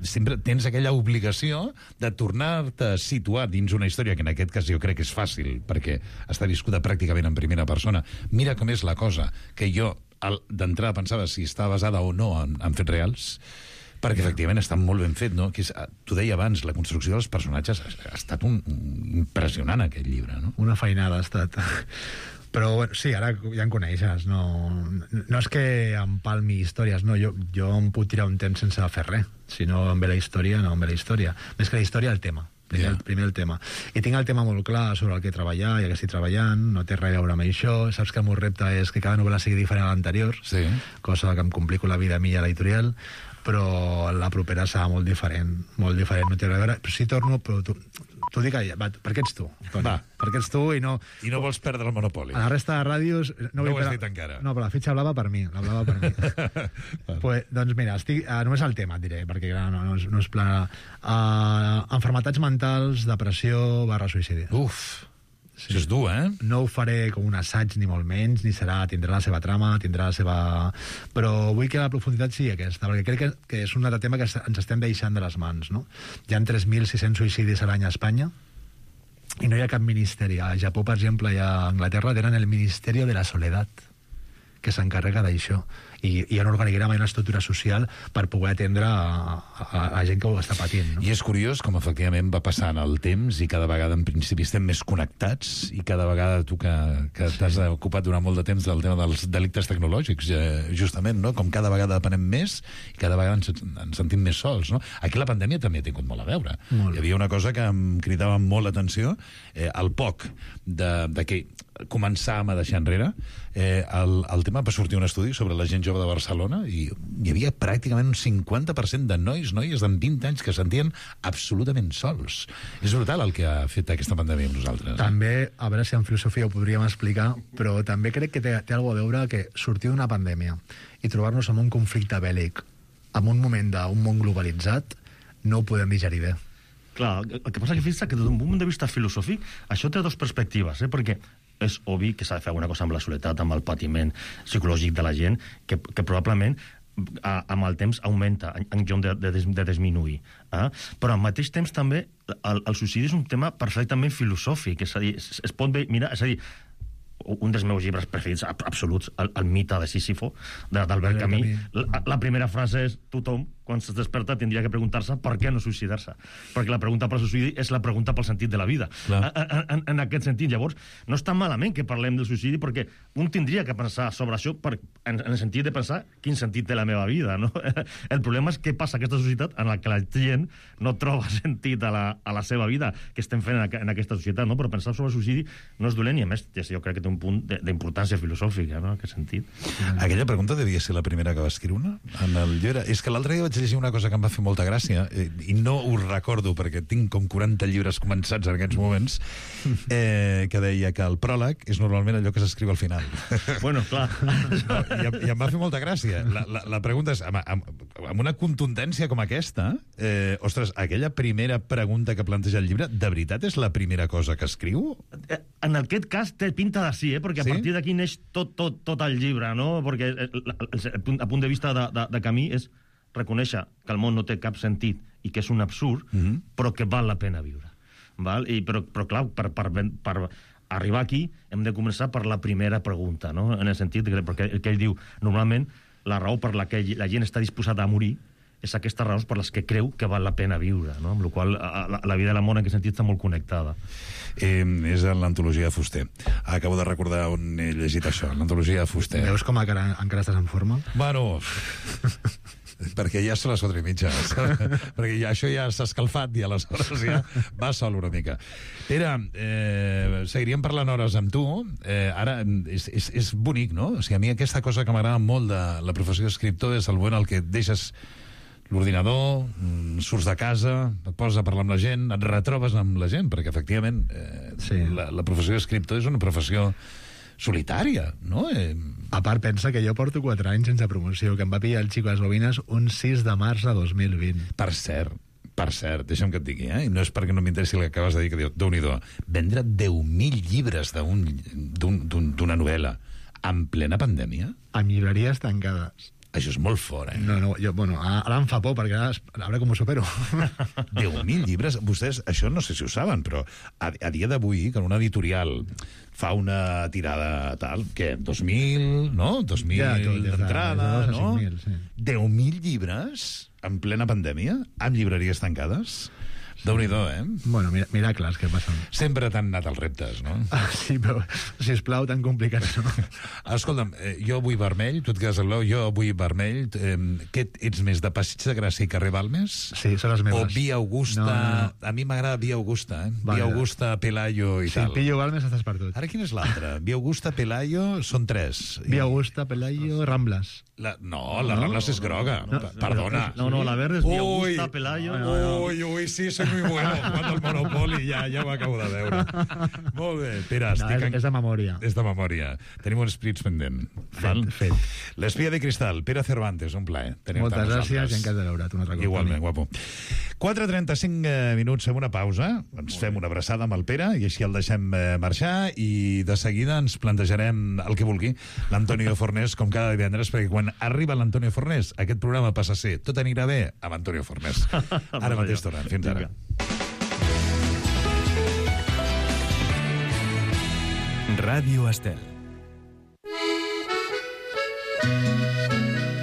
sempre tens aquella obligació de tornar-te a situar dins una història que en aquest cas jo crec que és fàcil, perquè està viscuda pràcticament en primera persona. Mira com és la cosa, que jo d'entrada pensava si està basada o no en fets reals, Perquè, efectivament, està molt ben fet, no? Tu deia abans, la construcció dels personatges ha estat impressionant, aquest llibre, no? Una feinada ha estat. Però, bueno, sí, ara ja em coneixes. No és que em palmi històries, no. Jo em puc tirar un temps sense fer res. Si no em ve la història, no em ve la història. Més que la història, el tema. Primer el tema. I tinc el tema molt clar sobre el que treballar, ja que estic treballant, no té res a veure amb això. Saps que el meu repte és que cada novel·la sigui diferent a l'anterior, cosa que em complico la vida a mi i a l'editorial, però la propera serà molt diferent, no té res a veure. Però si torno, però t'ho dic allà, per què ets tu, Toni? Per què ets tu i no... I no vols perdre el monopoli. A la resta de ràdios... No ho has dit encara. No, però la fitxa blava per mi, pues, doncs mira, només el tema et diré, perquè no és pla... Enfermetats mentals, depressió / suïcidi. Uf, sí. Això és dur, eh? No ho faré com un assaig, ni molt menys, tindrà la seva trama, tindrà la seva... Però vull que la profunditat sigui aquesta, perquè crec que és un altre tema que ens estem deixant de les mans, no? Hi ha 3.600 suïcidis a l'any a Espanya, i no hi ha cap ministeri. A Japó, per exemple, i a Anglaterra tenen el Ministerio de la Soledat, que s'encarrega d'això. I hi ha un organigrama i una estructura social per poder atendre a gent que ho està patint. No? I és curiós com efectivament va passant el temps i cada vegada en principi estem més connectats i cada vegada tu que t'has ocupat durant molt de temps del tema dels delictes tecnològics, justament, no? Com cada vegada depenem més i cada vegada ens sentim més sols. No? Aquí la pandèmia també ha tingut molt a veure. Hi havia una cosa que em cridava molt l'atenció, el poc de que començàvem a deixar enrere el tema, va sortir un estudi sobre la gent jove de Barcelona i hi havia pràcticament un 50% de noies de 20 anys que sentien absolutament sols. És brutal el que ha fet aquesta pandèmia amb nosaltres. També, a veure si en filosofia ho podríem explicar, però també crec que té alguna cosa a veure que sortir d'una pandèmia i trobar-nos en un conflicte bèl·lic, en un moment d'un món globalitzat, no ho podem digerir bé. Clar, el que passa que fixa't que des d'un punt de vista filosòfic això té dues perspectives, perquè és obvi que s'ha de fer alguna cosa amb la soledat, amb el patiment psicològic de la gent, que probablement amb el temps augmenta en lloc de disminuir. Però al mateix temps també el suïcidi és un tema perfectament filosòfic, és a dir, es pot mirar, és a dir, un dels meus llibres preferits absoluts, el mite de Sísifo, d'Albert Camus. La primera frase és: tothom, quan es desperta, tindria que preguntar-se per què no suïcidar-se. Perquè la pregunta pel suïcidi és la pregunta pel sentit de la vida. En aquest sentit, llavors, no està malament que parlem del suïcidi, perquè un tindria que pensar sobre això en el sentit de pensar quin sentit té la meva vida, no? El problema és què passa a aquesta societat en la que la gent no troba sentit a la seva vida, que estem fent en aquesta societat, no? Però pensar sobre el suïcidi no és dolent, i a més, jo crec que té un punt d'importància filosòfica, no? En aquest sentit. Aquella pregunta devia ser la primera que va escriure en el llibre. És que l'altre dia vaig llegir una cosa que em va fer molta gràcia, i no ho recordo perquè tinc com 40 llibres començats en aquests moments, que deia que el pròleg és normalment allò que s'escriu al final. Bueno, clar. I em va fer molta gràcia. La pregunta és, amb una contundència com aquesta, ostres, aquella primera pregunta que planteja el llibre, de veritat és la primera cosa que escriu? En aquest cas té pinta de sí, perquè a partir d'aquí neix tot el llibre, no? Perquè el punt de vista de Camus és reconèixer que el món no té cap sentit i que és un absurd, però que val la pena viure. Però clar, per arribar aquí hem de començar per la primera pregunta, no? En el sentit perquè el que ell diu, normalment la raó per la que la gent està disposada a morir és aquestes raons per les que creu que val la pena viure, no? Amb la qual la vida i la mort en aquest sentit està molt connectada. És en l'antologia de Fuster. Acabo de recordar on he llegit això, l'antologia de Fuster. Veus com encara estàs en forma? Bueno, perquè ja són les 4:30, perquè això ja s'ha escalfat i aleshores ja va sol una mica. Pere, seguiríem parlant hores amb tu. Ara, és bonic, no? O sigui, a mi aquesta cosa que m'agrada molt de la professió d'escriptor és el moment en què deixes l'ordinador, surts de casa, et poses a parlar amb la gent, et retrobes amb la gent, perquè efectivament la professió d'escriptor és una professió solitària, no? A part, pensa que jo porto 4 anys sense promoció, que em va pillar el Xico a les Bobines un 6 de març de 2020. Per cert, deixa'm que et digui, i no és perquè no m'interessi el que acabes de dir, que Déu-n'hi-do, vendre 10.000 llibres d'una novel·la en plena pandèmia? Amb llibreries tancades. Això és molt fort, No, ara em fa por, perquè a veure com ho supero. 10.000 llibres. Vostès, això no sé si ho saben, però a dia d'avui, que una editorial fa una tirada tal, què, 2.000, no? 2.000 d'entrada, no? 10.000 llibres? en plena pandèmia, amb llibreries tancades? Déu-n'hi-do, Bueno, miracles que passen. Sempre t'han anat els reptes, no? Sí, però, sisplau, tan complicats, no? Escolta'm, jo vull vermell, tu et quedes al blau, jo vull vermell. Què ets més, de Passeig de Gràcia i carrer Balmes? Sí, són les meves. O Via Augusta? No. A mi m'agrada Via Augusta, Vale. Via Augusta, Pelayo i tal. Sí, pillo Balmes, estàs per tot. Ara quina és l'altra? Via Augusta, Pelayo, són 3. Via Augusta, Pelayo, Ramblas. La Ramblas és groga. Perdona. No, la verde és Via Augusta, Pelayo... Ui, sí, soy muy bueno. Quan el Monopoli ja ho acabo de veure. Molt bé, Pere, és de memòria. És de memòria. Tenim un esprits pendent. Fet. L'espia de cristal, Pere Cervantes, un plaer. Moltes gràcies i encantat de veure't un altre cop. Igualment, guapo. 4:35 minuts, fem una pausa, ens fem una abraçada amb el Pere i així el deixem marxar i de seguida ens plantejarem el que vulgui l'Antonio Fornés, com cada divendres, perquè quan arriba l'Antonio Fornés aquest programa passa a ser Tot anirà bé amb Antonio Fornés. Ara mateix tornem. Fins ara. Ràdio Estel.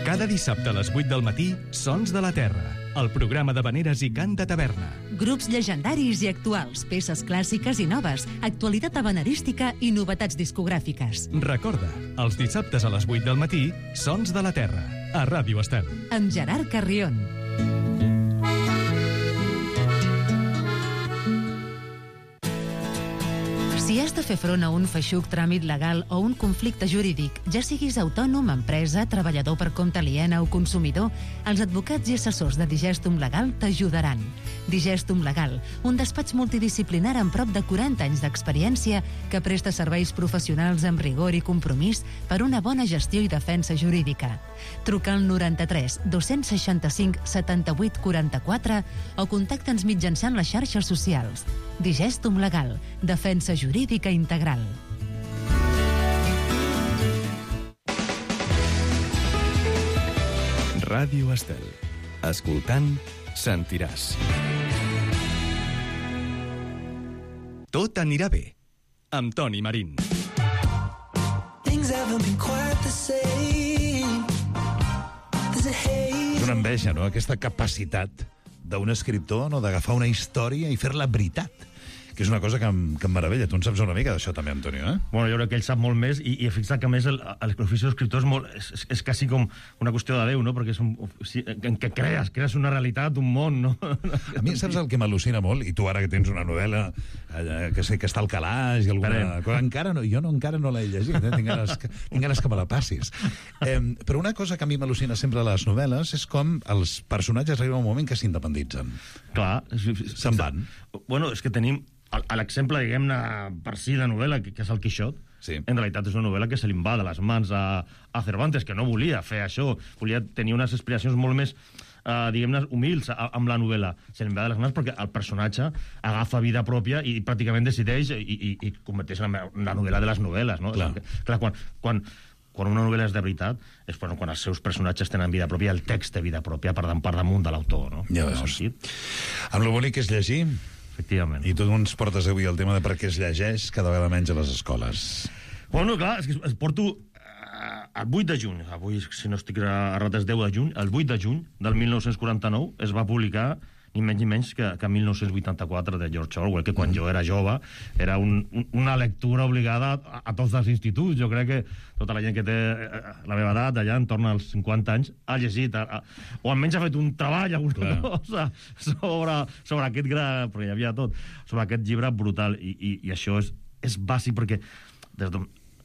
Cada dissabte a les 8 del matí, Sons de la Terra, el programa d'havaneres i cant de taverna. Grups llegendaris i actuals, peces clàssiques i noves, actualitat havanerística i novetats discogràfiques. Recorda, els dissabtes a les 8 del matí, Sons de la Terra, a Ràdio Estel. Amb Gerard Carrion. Si has de fer front a un feixuc tràmit legal o un conflicte jurídic, ja siguis autònom, empresa, treballador per compte aliena o consumidor, els advocats i assessors de Digestum Legal t'ajudaran. Digestum Legal, un despatx multidisciplinar amb prop de 40 anys d'experiència que presta serveis professionals amb rigor i compromís per una bona gestió i defensa jurídica. Truca al 93 265 78 44 o contacta'ns mitjançant les xarxes socials. Digestum Legal, defensa jurídica integral. Ràdio Estel. Escoltant, sentiràs. Tot anirà bé, amb Toni Marín. És una enveja, no?, aquesta capacitat d'un escriptor, no?, d'agafar una història i fer-la veritat, que és una cosa que em meravella. Tu en saps una mica d'això també, Antonio, Bueno, jo crec que ell sap molt més i fixa't que a més l'ofici d'escriptor és quasi com una qüestió de Déu, no?, perquè és en què crees una realitat, un món, no? A mi saps el que m'al·lucina molt? I tu ara que tens una novel·la que sé que està al calaix i alguna cosa, encara no l'he llegit, tinc ganes que me la passis. Però una cosa que a mi m'al·lucina sempre a les novel·les és com els personatges arriben a un moment que s'independitzen. Clar. Se'n van. Bueno, és que tenim l'exemple, diguem-ne, per si de novel·la, que és el Quixot. Sí. En realitat és una novel·la que se li va de les mans a Cervantes, que no volia fer això, volia tenir unes aspiracions molt més, diguem-ne, humils amb la novel·la. Se li va de les mans perquè el personatge agafa vida pròpia i pràcticament decideix i converteix en la novel·la de les novel·les, no? Clar, quan una novel·la és de veritat és quan els seus personatges tenen vida pròpia, el text té vida pròpia per damunt de l'autor, no? Ja veus. Amb lo bonic que és llegir. Efectivament. I tu ens portes avui el tema de per què es llegeix cada vegada menys a les escoles. Bueno, clar, és que es porto el 8 de juny, avui, si no estic errat, és 10 de juny, el 8 de juny del 1949 es va publicar ni menys ni menys que 1984 de George Orwell, que quan jo era jove era una lectura obligada a tots els instituts. Jo crec que tota la gent que té la meva edat, allà entorn als 50 anys, ha llegit, o almenys ha fet un treball, alguna cosa, sobre aquest gran, perquè hi havia tot, sobre aquest llibre brutal. I això és bàsic, perquè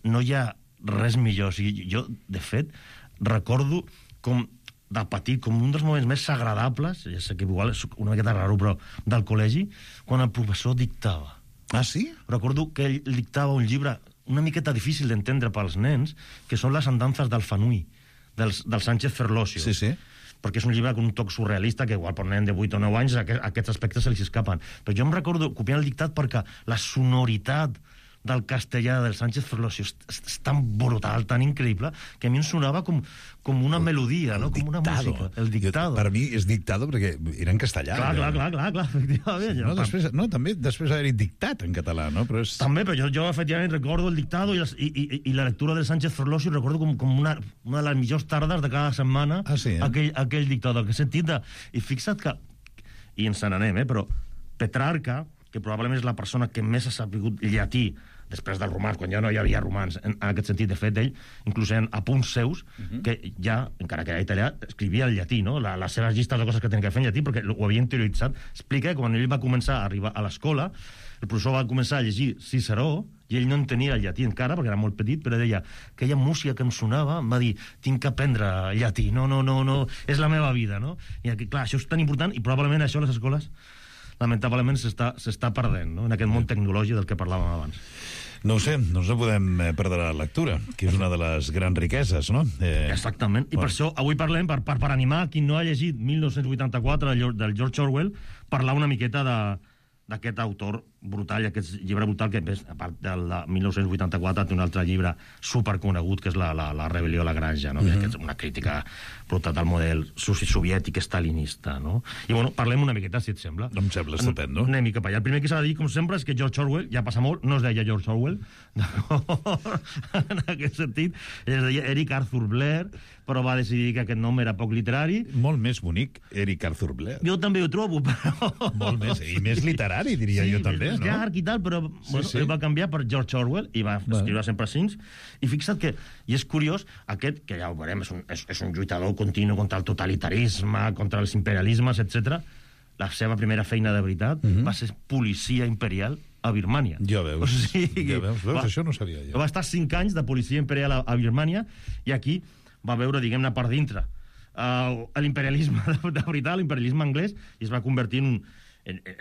no hi ha res millor. O sigui, jo, de fet, recordo com de petit, com un dels moments més agradables, ja sé que igual és una miqueta raro, però del col·legi, quan el professor dictava. Ah, sí? Recordo que ell dictava un llibre una miqueta difícil d'entendre pels nens, que són les andances del Fanui, del Sánchez Ferlosio. Sí, sí. Perquè és un llibre amb un toc surrealista que igual per nen de 8 o 9 anys aquests aspectes se li escapen. Però jo em recordo copiant el dictat perquè la sonoritat del castellà del Sánchez Ferlosio és tan brutal, tan increïble, que a mi em sonava com una melodia, no? Com una música. El dictado. Per mi és dictado perquè era en castellà. Clar, efectivament. També després haver-hi dictat en català, no? Però és... També, però jo efectivament recordo el dictado i la lectura del Sánchez Ferlosio, recordo com una de les millors tardes de cada setmana, aquell dictado, que he sentit I fixa't que, i ens n'anem, però Petrarca, que probablement és la persona que més ha sabut llatí després del romans, quan ja no hi havia romans, en aquest sentit, de fet, ell, inclús en apunts seus, que ja, encara que era italià, escrivia el llatí, no? Les seves llistes de coses que tenia que fer en llatí, perquè ho havia interioritzat. Explica que quan ell va començar a arribar a l'escola, el professor va començar a llegir Ciceró, i ell no entenia el llatí encara, perquè era molt petit, però deia, aquella música que em sonava, em va dir, tinc que aprendre llatí, no, és la meva vida, no? I clar, això és tan important, i probablement això a les escoles lamentablement s'està perdent, no? En aquest món tecnològic del que parlàvem abans. No ho sé, no podem perdre la lectura, que és una de les grans riqueses, no? Exactament, i per això avui parlem, per animar qui no ha llegit 1984 del George Orwell, parlar una miqueta d'aquest autor brutal, aquest llibre brutal, que a part del de 1984 té un altre llibre superconegut, que és la rebel·lió a la granja, no? Que és una crítica brutal del model soviètic stalinista, no? I bueno, parlem una miqueta, si et sembla. Em sembla estupendo. Anem cap allà. El primer que s'ha de dir, com sempre, és que George Orwell, ja passa molt, no es deia George Orwell, en aquest sentit, es deia Eric Arthur Blair, però va decidir que aquest nom era poc literari. Molt més bonic, Eric Arthur Blair. Jo també ho trobo, però... Molt més, i més literari, diria jo també, no? Sí, llarg i tal, però ell va canviar per George Orwell i va escriure sempre cinc. I fixa't que, i és curiós, aquest, que ja ho veurem, és un lluitador continu contra el totalitarisme, contra els imperialismes, etc. La seva primera feina de veritat va ser policia imperial a Birmània. Ja veus, això no sabia jo. Va estar 5 anys de policia imperial a Birmània i aquí va veure, diguem-ne, per dintre l'imperialisme de veritat, l'imperialisme anglès, i es va convertir en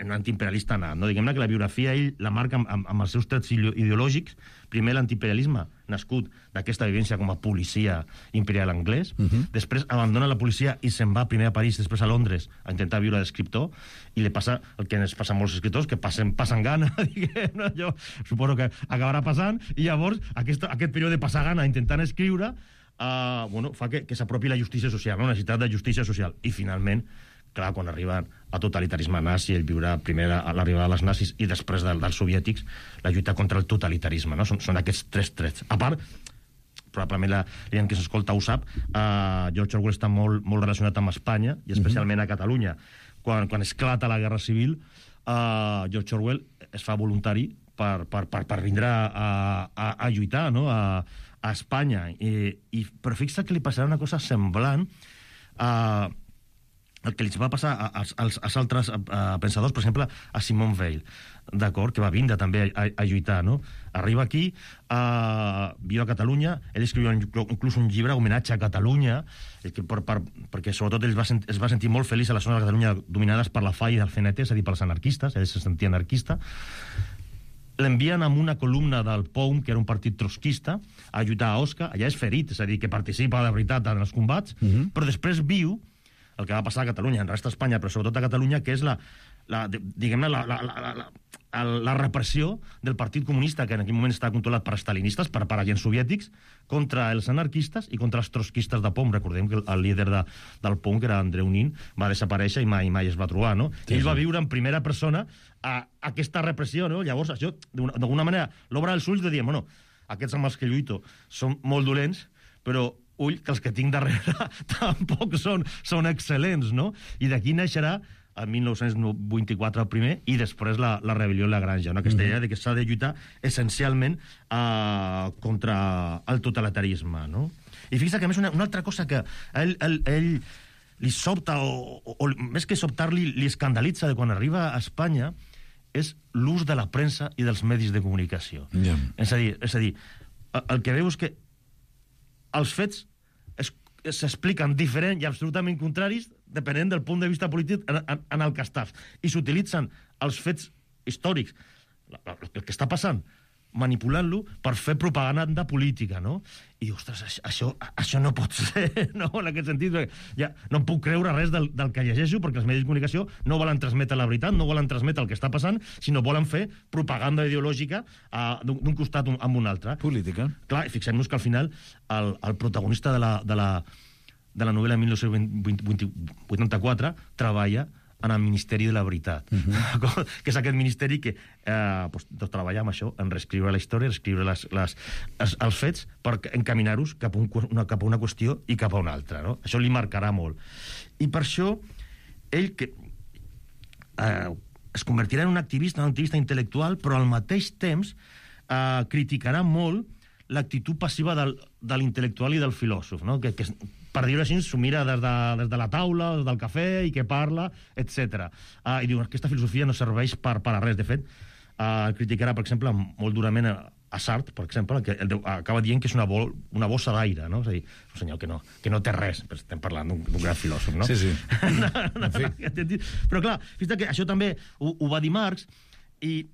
un antiimperialista nat, no? Diguem-ne que la biografia ell la marca amb els seus trets ideològics. Primer l'antiimperialisme, nascut d'aquesta vivència com a policia imperial anglès, després abandona la policia i se'n va primer a París, després a Londres, a intentar viure d'escriptor, i li passa el que ens passa a molts escriptors, que passen gana, diguem-ne, jo suposo que acabarà passant, i llavors aquest període de passar gana intentant escriure fa que s'apropi la justícia social, la necessitat de justícia social, i finalment, clar, quan arriben a totalitarisme nazi, el viure primer a l'arribada dels nazis i després dels soviètics, la lluita contra el totalitarisme, no? Són aquests 3 trets. A part, probablement la gent que s'escolta ho sap, George Orwell està molt relacionat amb Espanya, i especialment a Catalunya. Quan esclata la Guerra Civil, George Orwell es fa voluntari per vindre a lluitar, no? A Espanya. Però fixa que li passarà una cosa semblant el que li va passar als altres pensadors, per exemple, a Simone Weil, d'acord, que va vindre també a lluitar, no? Arriba aquí, viu a Catalunya, ell escriu inclús un llibre homenatge a Catalunya, perquè sobretot ell es va sentir molt feliç a les zones de Catalunya dominades per la FAI del CNT, és a dir, pels anarquistes, ell se sentia anarquista. L'envien amb una columna del POUM, que era un partit trotskista, a lluitar a Osca. Allà és ferit, és a dir, que participa de veritat en els combats, però després viu el que va passar a Catalunya, en resta d'Espanya, però sobretot a Catalunya, que és diguem-ne, la repressió del Partit Comunista, que en aquell moment estava controlat per stalinistes, per agents soviètics, contra els anarquistes i contra els trotskistes de POUM. Recordem que el líder del POUM, que era Andreu Nin, va desaparèixer i mai es va trobar, no? Sí, ell va viure en primera persona aquesta repressió, no? Llavors, això, d'alguna manera, l'obre els ulls de dir, bueno, aquests amb els que lluito són molt dolents, però ull, que els que tinc darrere tampoc són excel·lents, no? I d'aquí naixerà el 1924 el primer, i després la rebel·lió a la granja, no? Aquesta idea de que s'ha de lluitar essencialment contra el totalitarisme, no? I fixa que, a més, una altra cosa que ell li sobta, o més que sobtar-li, li escandalitza de quan arriba a Espanya, és l'ús de la premsa i dels medis de comunicació. És a dir, el que veu és que els fets s'expliquen diferent i absolutament contraris depenent del punt de vista polític en el que estàs. I s'utilitzen els fets històrics, el que està passant, manipulant-lo per fer propaganda política, no? I, ostres, això no pot ser, no? En aquest sentit, ja no em puc creure res del que llegeixo, perquè els medis de comunicació no volen transmetre la veritat, no volen transmetre el que està passant, sinó volen fer propaganda ideològica d'un costat amb un altre. Política. Clar, i fixem-nos que al final el protagonista de la novel·la 1984 treballa en el Ministeri de la Veritat, que és aquest ministeri que treballa amb això, en reescriure la història, reescriure els fets per encaminar-los cap a una qüestió i cap a una altra, no? Això li marcarà molt. I per això ell es convertirà en un activista intel·lectual, però al mateix temps criticarà molt l'actitud passiva de l'intel·lectual i del filòsof, no? Que per dir-ho així, s'ho mira des de la taula, des del cafè, i que parla, etc. I diu, aquesta filosofia no serveix per a res. De fet, criticarà, per exemple, molt durament a Sartre, per exemple, que acaba dient que és una bossa d'aire, no? És a dir, un senyor que no té res, però estem parlant d'un gran filòsof, no? Sí. Però clar, fins que això també ho va dir Marx, i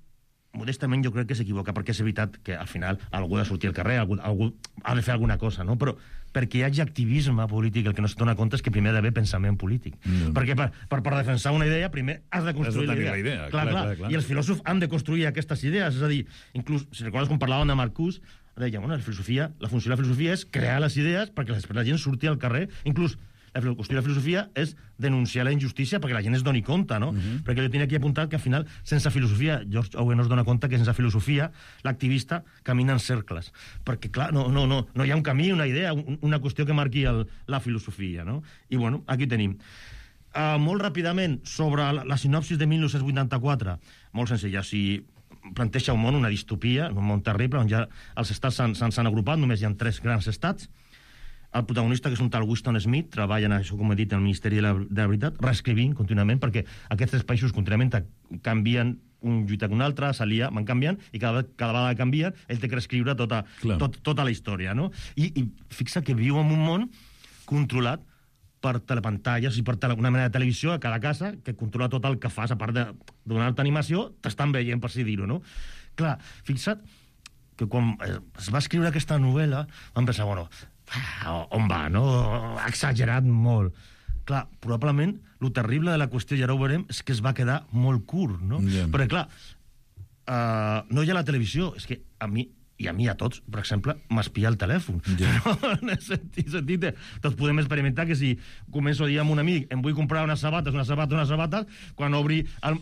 modestament jo crec que s'equivoca, perquè és veritat que al final algú ha de sortir al carrer, algú ha de fer alguna cosa, no? Però perquè hi hagi activisme polític, el que no es dona compte és que primer ha d'haver pensament polític. Perquè per defensar una idea, primer has de construir la idea. Clar. I els filòsofs han de construir aquestes idees. És a dir, inclús, si recordes quan parlàvem de Marcuse, deia, bueno, la funció de la filosofia és crear les idees perquè després la gent surti al carrer. Inclús la qüestió de la filosofia és denunciar la injustícia perquè la gent es doni compte, no? Perquè jo tenia aquí apuntat que al final, sense filosofia, George Owen es dona compte que sense filosofia l'activista camina en cercles. Perquè, clar, no hi ha un camí, una idea, una qüestió que marqui la filosofia, no? I, bueno, aquí tenim. Molt ràpidament, sobre la sinopsis de 1984, molt senzilla, planteja un món, una distopia, un món terrible, on ja els estats s'han agrupat, només hi ha 3 grans estats. El protagonista, que és un tal Winston Smith, treballa en això, com he dit, en el Ministeri de la Veritat, reescrivint contínuament, perquè aquests 3 països contínuament canvien un lluita que un altre, s'alia, van canviant, i cada vegada que canvien, ell té que reescriure tota la història, no? I fixa que viu en un món controlat per telepantalles i per una mena de televisió a cada casa que controla tot el que fas, a part de donar-te animació, t'estan veient, per si dir-ho, no? Clar, fixa't que quan es va escriure aquesta novel·la vam pensar, bueno, on va, no? Ha exagerat molt. Clar, probablement, lo terrible de la qüestió, ja ho veurem, és que es va quedar molt curt, no? Perquè, clar, no hi ha la televisió, és que a mi a tots, per exemple, m'espia el telèfon. En el sentit, tots podem experimentar que si començo a dir amb un amic em vull comprar unes sabates, quan obri el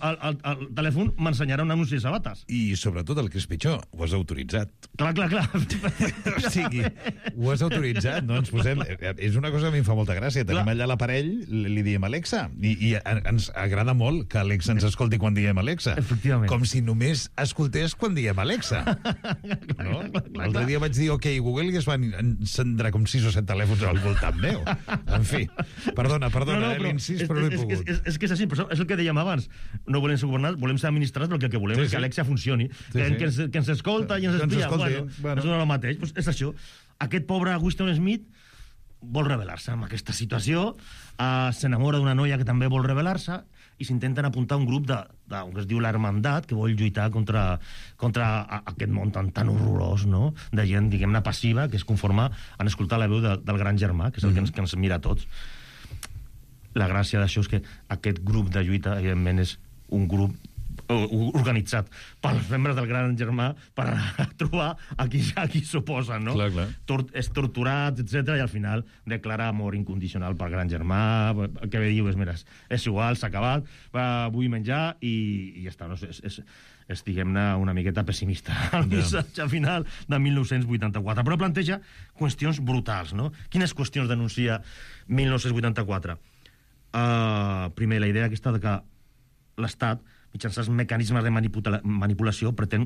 telèfon m'ensenyarà un anunci de sabates. I sobretot el que és pitjor, ho has autoritzat. Clar. O sigui, ho has autoritzat, no? Ens posem... És una cosa que a mi em fa molta gràcia. Tenim allà l'aparell, li diem Alexa, i ens agrada molt que Alexa ens escolti quan diem Alexa. Efectivament. Com si només escoltés quan diem Alexa. No? L'altre dia vaig dir OK Google i es van encendre com 6 o 7 telèfons al voltant meu. En fi, perdona, l'incís, però no he pogut. És que és així, però és el que dèiem abans. No volem ser governats, volem ser administrats, perquè el que volem és que Alexa funcioni. Que ens escolta i ens espia. Bueno, és el mateix. És això. Aquest pobre Winston Smith vol rebel·lar-se amb aquesta situació, s'enamora d'una noia que també vol rebel·lar-se, i s'intenten apuntar un grup que es diu l'Hermandat, que vol lluitar contra aquest món tan horrorós, no? De gent, diguem-ne, passiva, que es conforma en escoltar la veu del gran germà, que és el que ens mira a tots. La gràcia d'això és que aquest grup de lluita, evidentment, és un grup organitzat pels membres del gran germà per trobar a qui s'oposen, no? Clar. És torturat, etc, i al final declara amor incondicional pel gran germà. El que diu és, mira, és igual, s'ha acabat, vull menjar i ja està, no? És diguem-ne, una miqueta pessimista el missatge final de 1984, però planteja qüestions brutals, no? Quines qüestions denuncia 1984? Primer, la idea aquesta de que l'Estat, mitjançant mecanismes de manipulació, pretén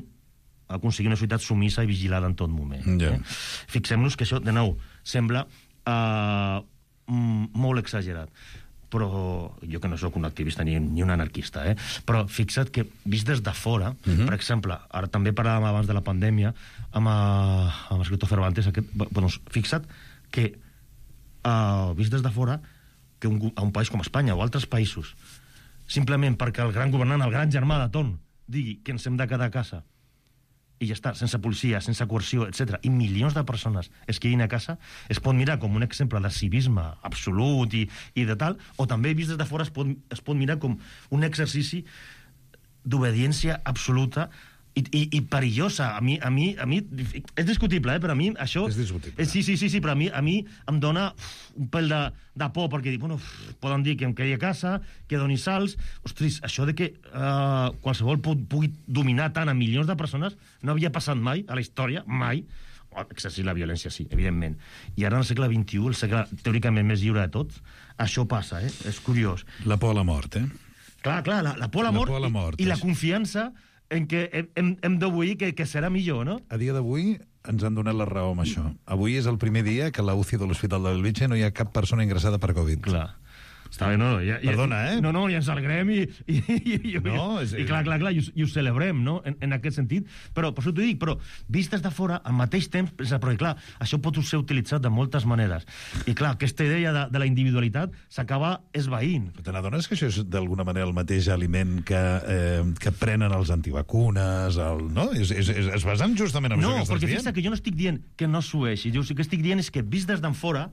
aconseguir una societat sumissa i vigilada en tot moment. Fixem-nos que això, de nou, sembla molt exagerat. Però jo que no sóc un activista ni un anarquista, però fixa't que, vist des de fora, per exemple, ara també parlàvem abans de la pandèmia amb l'escriptor Cervantes, fixa't que, vist des de fora, que un país com Espanya o altres països, simplement perquè el gran governant, el gran germà de torn, digui que ens hem de quedar a casa i ja està, sense policia, sense coerció, etc. I milions de persones es quedin a casa, es pot mirar com un exemple de civisme absolut i de tal, o també vist des de fora es pot mirar com un exercici d'obediència absoluta i perillosa. A mi és discutible, però a mi això... És discutible. Sí, però a mi em dona un pèl de por, perquè dic, bueno, poden dir que em quedi a casa, que doni salts... Ostres, això de que qualsevol pugui dominar tant a milions de persones no havia passat mai a la història, mai. Exercir la violència, sí, evidentment. I ara en el segle XXI, el segle teòricament més lliure de tots, això passa, És curiós. La por a la mort, Clar, la por a la mort i la confiança en què hem d'obeir que serà millor, no? A dia d'avui ens han donat la raó amb això. Avui és el primer dia que a la UCI de l'Hospital de Bellvitge no hi ha cap persona ingressada per Covid. Clar. Està bé, no? Perdona, No, i ens alegrem i clar, i ho celebrem, no? En aquest sentit. Però, per això t'ho dic, però vist des de fora, al mateix temps, perquè clar, això pot ser utilitzat de moltes maneres. I clar, aquesta idea de la individualitat s'acaba esvaint. Però te n'adones que això és d'alguna manera el mateix aliment que prenen els antivacunes, no? Es basen justament en això que estàs dient? No, perquè fixa't que jo no estic dient que no sueixi. Jo sí que estic dient és que vist des d'en fora,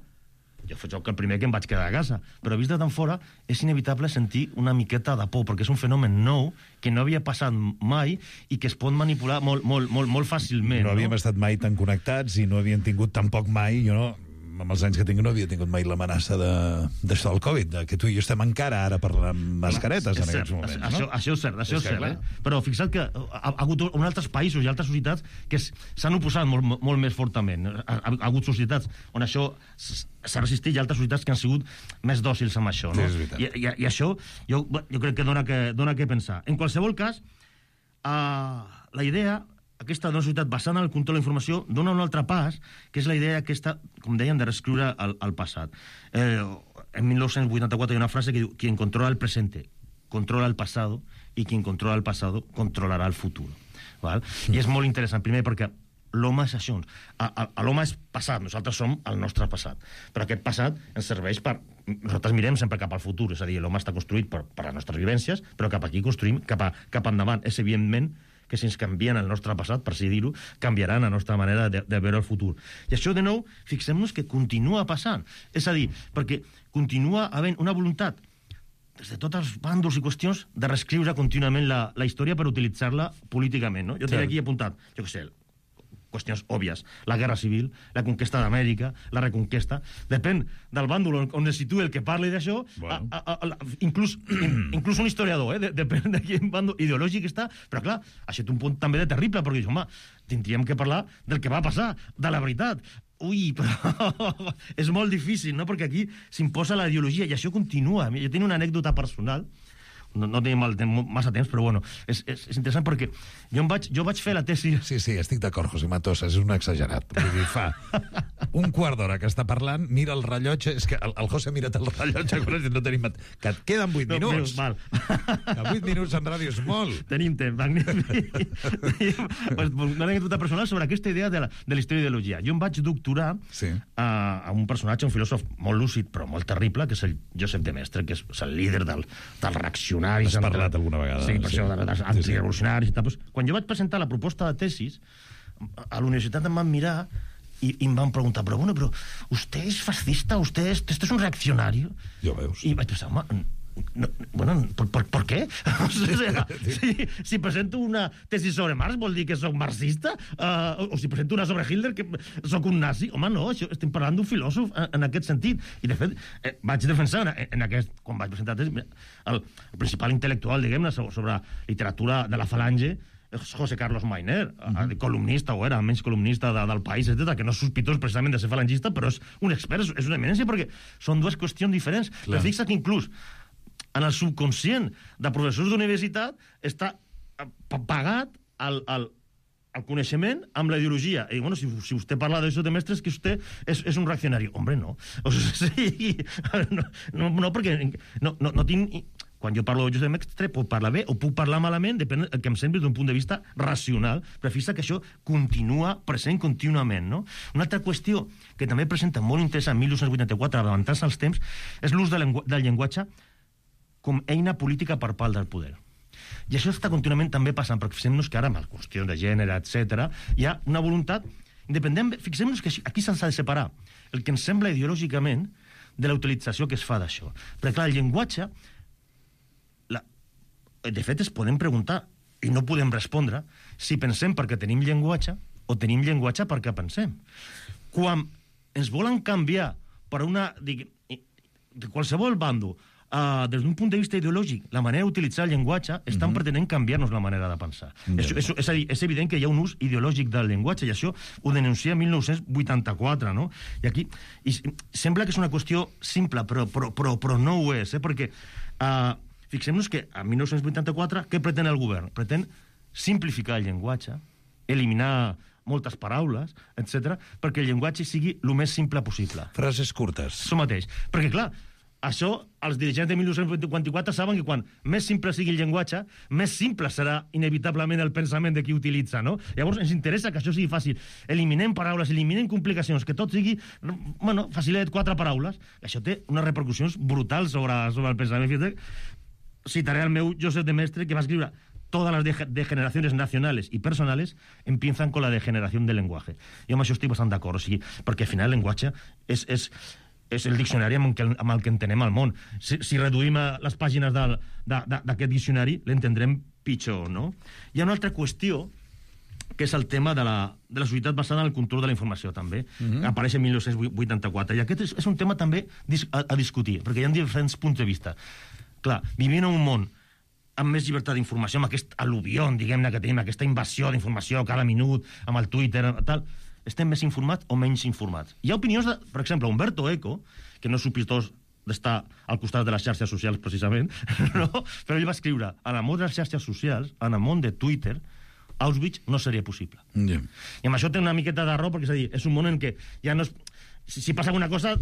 jo faig el primer que em vaig quedar a casa, però vist d'en fora és inevitable sentir una miqueta de por, perquè és un fenomen nou que no havia passat mai i que es pot manipular molt fàcilment. No havíem estat mai tan connectats i no havíem tingut tampoc mai, amb els anys que tinc no havia tingut mai l'amenaça d'això del Covid, que tu i jo estem encara ara parlant mascaretes en aquests moments, no? Això és cert, Però fixa't que ha hagut altres països i altres societats que s'han oposat molt més fortament. Ha hagut societats on això s'ha resistit i altres societats que han sigut més dòcils amb això, no? I això jo crec que dona que pensar. En qualsevol cas, la idea aquesta d'una societat basada en el control de la informació dona un altre pas, que és la idea aquesta, com dèiem, de reescriure el passat. En 1984 hi ha una frase que diu: quien controla el presente controla el pasado y quien controla el pasado controlará el futuro. Val? I és molt interessant, primer perquè l'home és això. L'home és passat, nosaltres som el nostre passat. Però aquest passat ens serveix per... Nosaltres mirem sempre cap al futur, és a dir, l'home està construït per les nostres vivències, però cap aquí construïm cap endavant. És evidentment que si ens canvien el nostre passat, per així dir-ho, canviaran la nostra manera de veure el futur. I això, de nou, fixem-nos que continua passant. És a dir, perquè continua havent una voluntat des de tots els bàndols i qüestions de reescriure contínuament la història per utilitzar-la políticament, no? Jo tinc aquí apuntat, jo què sé, qüestions òbvies. La guerra civil, la conquesta d'Amèrica, la reconquesta. Depèn del bàndol on es situï el que parli d'això, inclús un historiador, depèn de quin bàndol ideològic està, però clar, això té un punt també de terrible, perquè, home, tindríem que parlar del que va passar, de la veritat. Ui, però és molt difícil, no?, perquè aquí s'imposa la ideologia i això continua. Jo tinc una anècdota personal, no tenim massa temps, però bueno, és interessant perquè jo vaig fer la tesi... Sí, estic d'acord, José Matosa, és un exagerat. Vull dir, fa un quart d'hora que està parlant, mira el rellotge, és que el José mira't el rellotge, no tenim... Que et queden 8 minuts. Mal. Que 8 minuts en ràdio és molt. Tenim temps, magnífic. Una anècdota personal sobre aquesta idea de la història d'ideologia. Jo em vaig doctorar a un personatge, un filòsof molt lúcid, però molt terrible, que és el Josep de Maistre, que és el líder del reaccionari. Has parlat alguna vegada. Sí, per això, dels antirevolucionaris i tal. Quan jo vaig presentar la proposta de tesis, a la universitat em van mirar i em van preguntar, però ¿usted es fascista? ¿Usted es un reaccionario? Jo veus. I vaig pensar, home, ¿por qué? O sea, si presento una tesis sobre Marx vol dir que soc marxista? O si presento una sobre Hitler que soc un nazi? Home, no, estem parlant d'un filòsof en aquest sentit. I, de fet, vaig defensar quan vaig presentar la tesis, el principal intel·lectual, diguem-ne, sobre literatura de la falange, és José Carlos Mainer, columnista, o era menys columnista del País, etc., que no és sospitós precisament de ser falangista, però és un expert, és una eminència, perquè són dues qüestions diferents. Però fixa't que inclús en el subconscient de professors d'universitat està pagat el coneixement amb la ideologia. I, bueno, si vostè parla d'això de mestres, que vostè és un reaccionari. Hombre, no. O sigui, no, perquè no tinc... Quan jo parlo de Josep Mestre, puc parlar bé o puc parlar malament, depèn del que em sembli d'un punt de vista racional, però fixa que això continua present contínuament, no? Una altra qüestió que també presenta molt interessant, 1984, avançant als temps, és l'ús del llenguatge com eina política per part del poder. I això està contínuament també passant, perquè fixem-nos que ara, amb les qüestions de gènere, etc., hi ha una voluntat independent. Fixem-nos que aquí s'ha de separar el que ens sembla ideològicament de la utilització que es fa d'això. Perquè, clar, el llenguatge, de fet, es podem preguntar i no podem respondre si pensem perquè tenim llenguatge o tenim llenguatge perquè pensem. Quan ens volen canviar per una... de qualsevol bando, des d'un punt de vista ideològic, la manera d'utilitzar el llenguatge, estan pretenent canviar-nos la manera de pensar. És a dir, és evident que hi ha un ús ideològic del llenguatge, i això ho denuncia 1984, no? I aquí sembla que és una qüestió simple, però no ho és, perquè fixem-nos que a 1984 què pretén el govern? Pretén simplificar el llenguatge, eliminar moltes paraules, etc., perquè el llenguatge sigui el més simple possible. Frases curtes. Això mateix. Perquè, clar, això, els dirigents de 1954 saben que quan més simple sigui el llenguatge, més simple serà inevitablement el pensament de qui utilitza, no? Llavors ens interessa que això sigui fàcil. Eliminem paraules, eliminem complicacions, que tot sigui, bueno, facilet, 4 paraules. Això té unes repercussions brutals sobre el pensament. Citaré al meu Josep de Mestre, que va escriure: todas las degeneraciones nacionales y personales empiezan con la degeneración del lenguaje. Jo amb això estic bastant d'acord, o sigui, perquè al final el llenguatge és el diccionari amb el que entenem el món. Si reduïm les pàgines d'aquest diccionari, l'entendrem pitjor, no? Hi ha una altra qüestió, que és el tema de la societat basada en el control de la informació, també. Apareix en 1984. I aquest és un tema també a discutir, perquè hi ha diferents punts de vista. Clar, vivint en un món amb més llibertat d'informació, amb aquest al·luvió, diguem-ne, que tenim, aquesta invasió d'informació cada minut, amb el Twitter, tal, estem més informats o menys informats? Hi ha opinions, per exemple, Umberto Eco, que no és sospitós d'estar al costat de les xarxes socials, precisament, no? Però ell va escriure: en el món de les xarxes socials, en el món de Twitter, Auschwitz no seria possible. I amb això té una miqueta de raó, perquè és a dir, és un món en què ja no és... Si passa alguna cosa,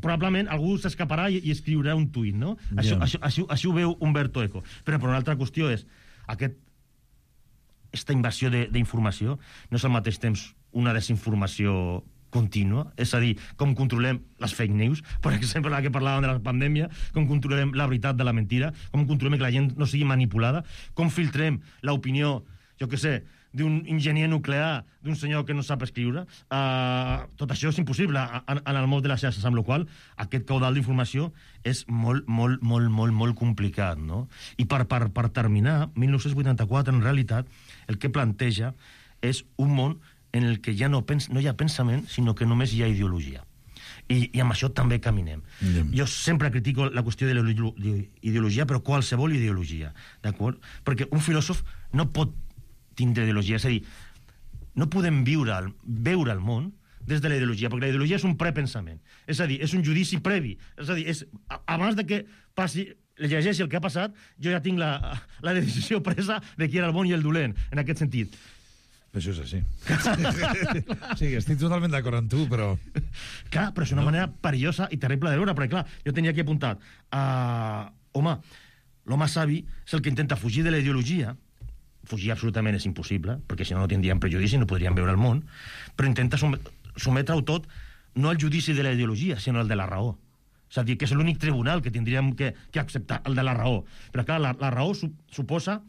probablement algú s'escaparà i escriurà un tuit, no? Això ho veu Umberto Eco. Però una altra qüestió és aquesta invasió d'informació no és al mateix temps una desinformació contínua, és a dir, com controlem les fake news, per exemple, la que parlàvem de la pandèmia, com controlem la veritat de la mentira, com controlem que la gent no sigui manipulada, com filtrem l'opinió, jo què sé, d'un enginyer nuclear, d'un senyor que no sap escriure. Tot això és impossible en el món de les xarxes, amb la qual aquest caudal d'informació és molt complicat, no? I per terminar, 1984, en realitat, el que planteja és un món en el que ja no hi ha pensament, sinó que només hi ha ideologia. I amb això també caminem. Jo sempre critico la qüestió de l'ideologia, però qualsevol ideologia, d'acord? Perquè un filòsof no pot tindre ideologia, és a dir, no podem veure el món des de la ideologia, perquè la ideologia és un prepensament, és a dir, és un judici previ, és a dir, abans de que passi, llegeixi el que ha passat, jo ja tinc la decisió presa de qui era el bon i el dolent, en aquest sentit. Això és així. Sí, estic totalment d'acord amb tu, però... Clar, però és una manera perillosa i terrible de veure, perquè clar, jo tenia aquí apuntat, home, l'home savi és el que intenta fugir de la ideologia. Fugir absolutament és impossible, perquè si no tindríem prejudici, no podríem veure el món, però intenta sometre-ho tot no al judici de la ideologia, sinó al de la raó. És a dir, que és l'únic tribunal que tindríem que acceptar, el de la raó. Però clar, la raó suposa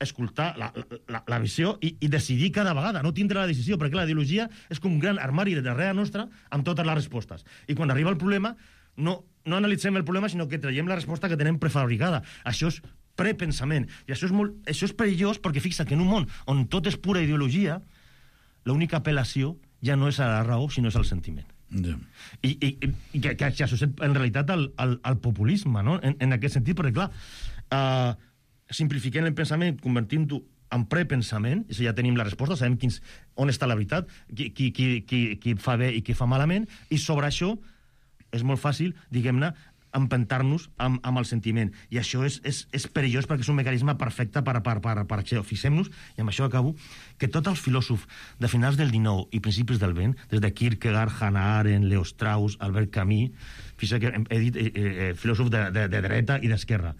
escoltar la visió i decidir cada vegada, no tindre la decisió, perquè la ideologia és com un gran armari darrere nostra amb totes les respostes. I quan arriba el problema, no analitzem el problema, sinó que traiem la resposta que tenem prefabricada. Això és prepensament. I això és perillós perquè fixa que en un món on tot és pura ideologia, l'única apel·lació ja no és a la raó, sinó és al sentiment. I que associem en realitat al populisme, no? En aquest sentit, perquè clar, simplifiquem el pensament, convertint-ho en prepensament, és a dir, ja tenim la resposta, sabem on està la veritat, qui fa bé i qui fa malament, i sobre això és molt fàcil, diguem-ne, empentar-nos amb el sentiment. I això és perillós perquè és un mecanisme perfecte per això. Fixem-nos, i amb això acabo, que tots els filòsofs de finals del XIX i principis del XX, des de Kierkegaard, Hannah Arendt, Leo Strauss, Albert Camus, fixa que he dit filòsofs de dreta i d'esquerra,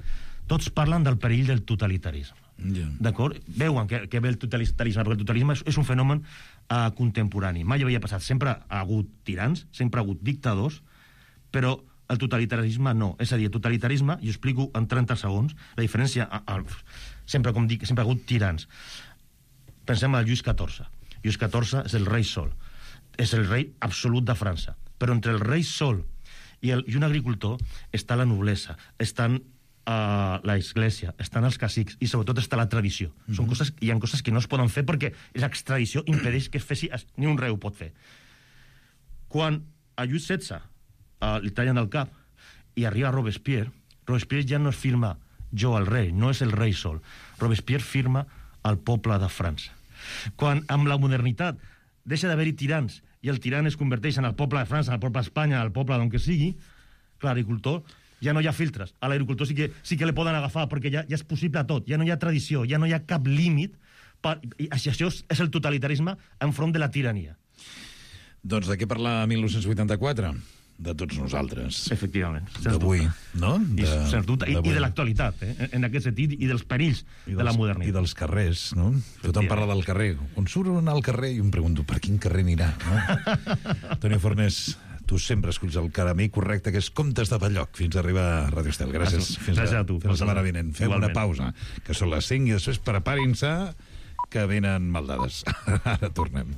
tots parlen del perill del totalitarisme. D'acord? Veuen que ve el totalitarisme, perquè el totalitarisme és un fenomen contemporani. Mai havia passat. Sempre ha hagut tirans, sempre ha hagut dictadors, però el totalitarisme no. És a dir, el totalitarisme, i ho explico en 30 segons, la diferència... sempre, com dic, sempre ha hagut tirans. Pensem en Lluís XIV. Lluís XIV és el rei sol. És el rei absolut de França. Però entre el rei sol i un agricultor està la noblesa, estan l'església, estan els cacics i sobretot està la tradició. Són coses, hi ha coses que no es poden fer perquè l'extradició impedeix que es fessi, ni un rei ho pot fer. Quan a Lluís XVI li tallen el cap i arriba Robespierre ja no es firma jo el rei, no és el rei sol. Robespierre firma el poble de França. Quan amb la modernitat deixa d'haver-hi tirans i el tirant es converteix en el poble de França, en el poble d'Espanya, el poble d'on que sigui, clar, l'agricultor ja no hi ha filtres. A l'agricultor sí que le poden agafar perquè ja és possible tot, ja no hi ha tradició, ja no hi ha cap límit. I això és el totalitarisme enfront de la tirania. Doncs de què parla 1984? De tots nosaltres. Efectivament. D'avui, no? Sens dubte. I de l'actualitat, en aquest sentit, i dels perills de la modernitat. I dels carrers, no? Tothom parla del carrer. Quan surt al carrer, jo em pregunto, per quin carrer anirà? No? Toni Fornés, tu sempre escolls el camí correcte, que és Comtes de Balloc, fins a arribar a Radio Estel. Gràcies. Fins a tu. Fins la setmana vinent. Fem una pausa, que són les 5, i després preparin-se, que venen maldades. Ara tornem.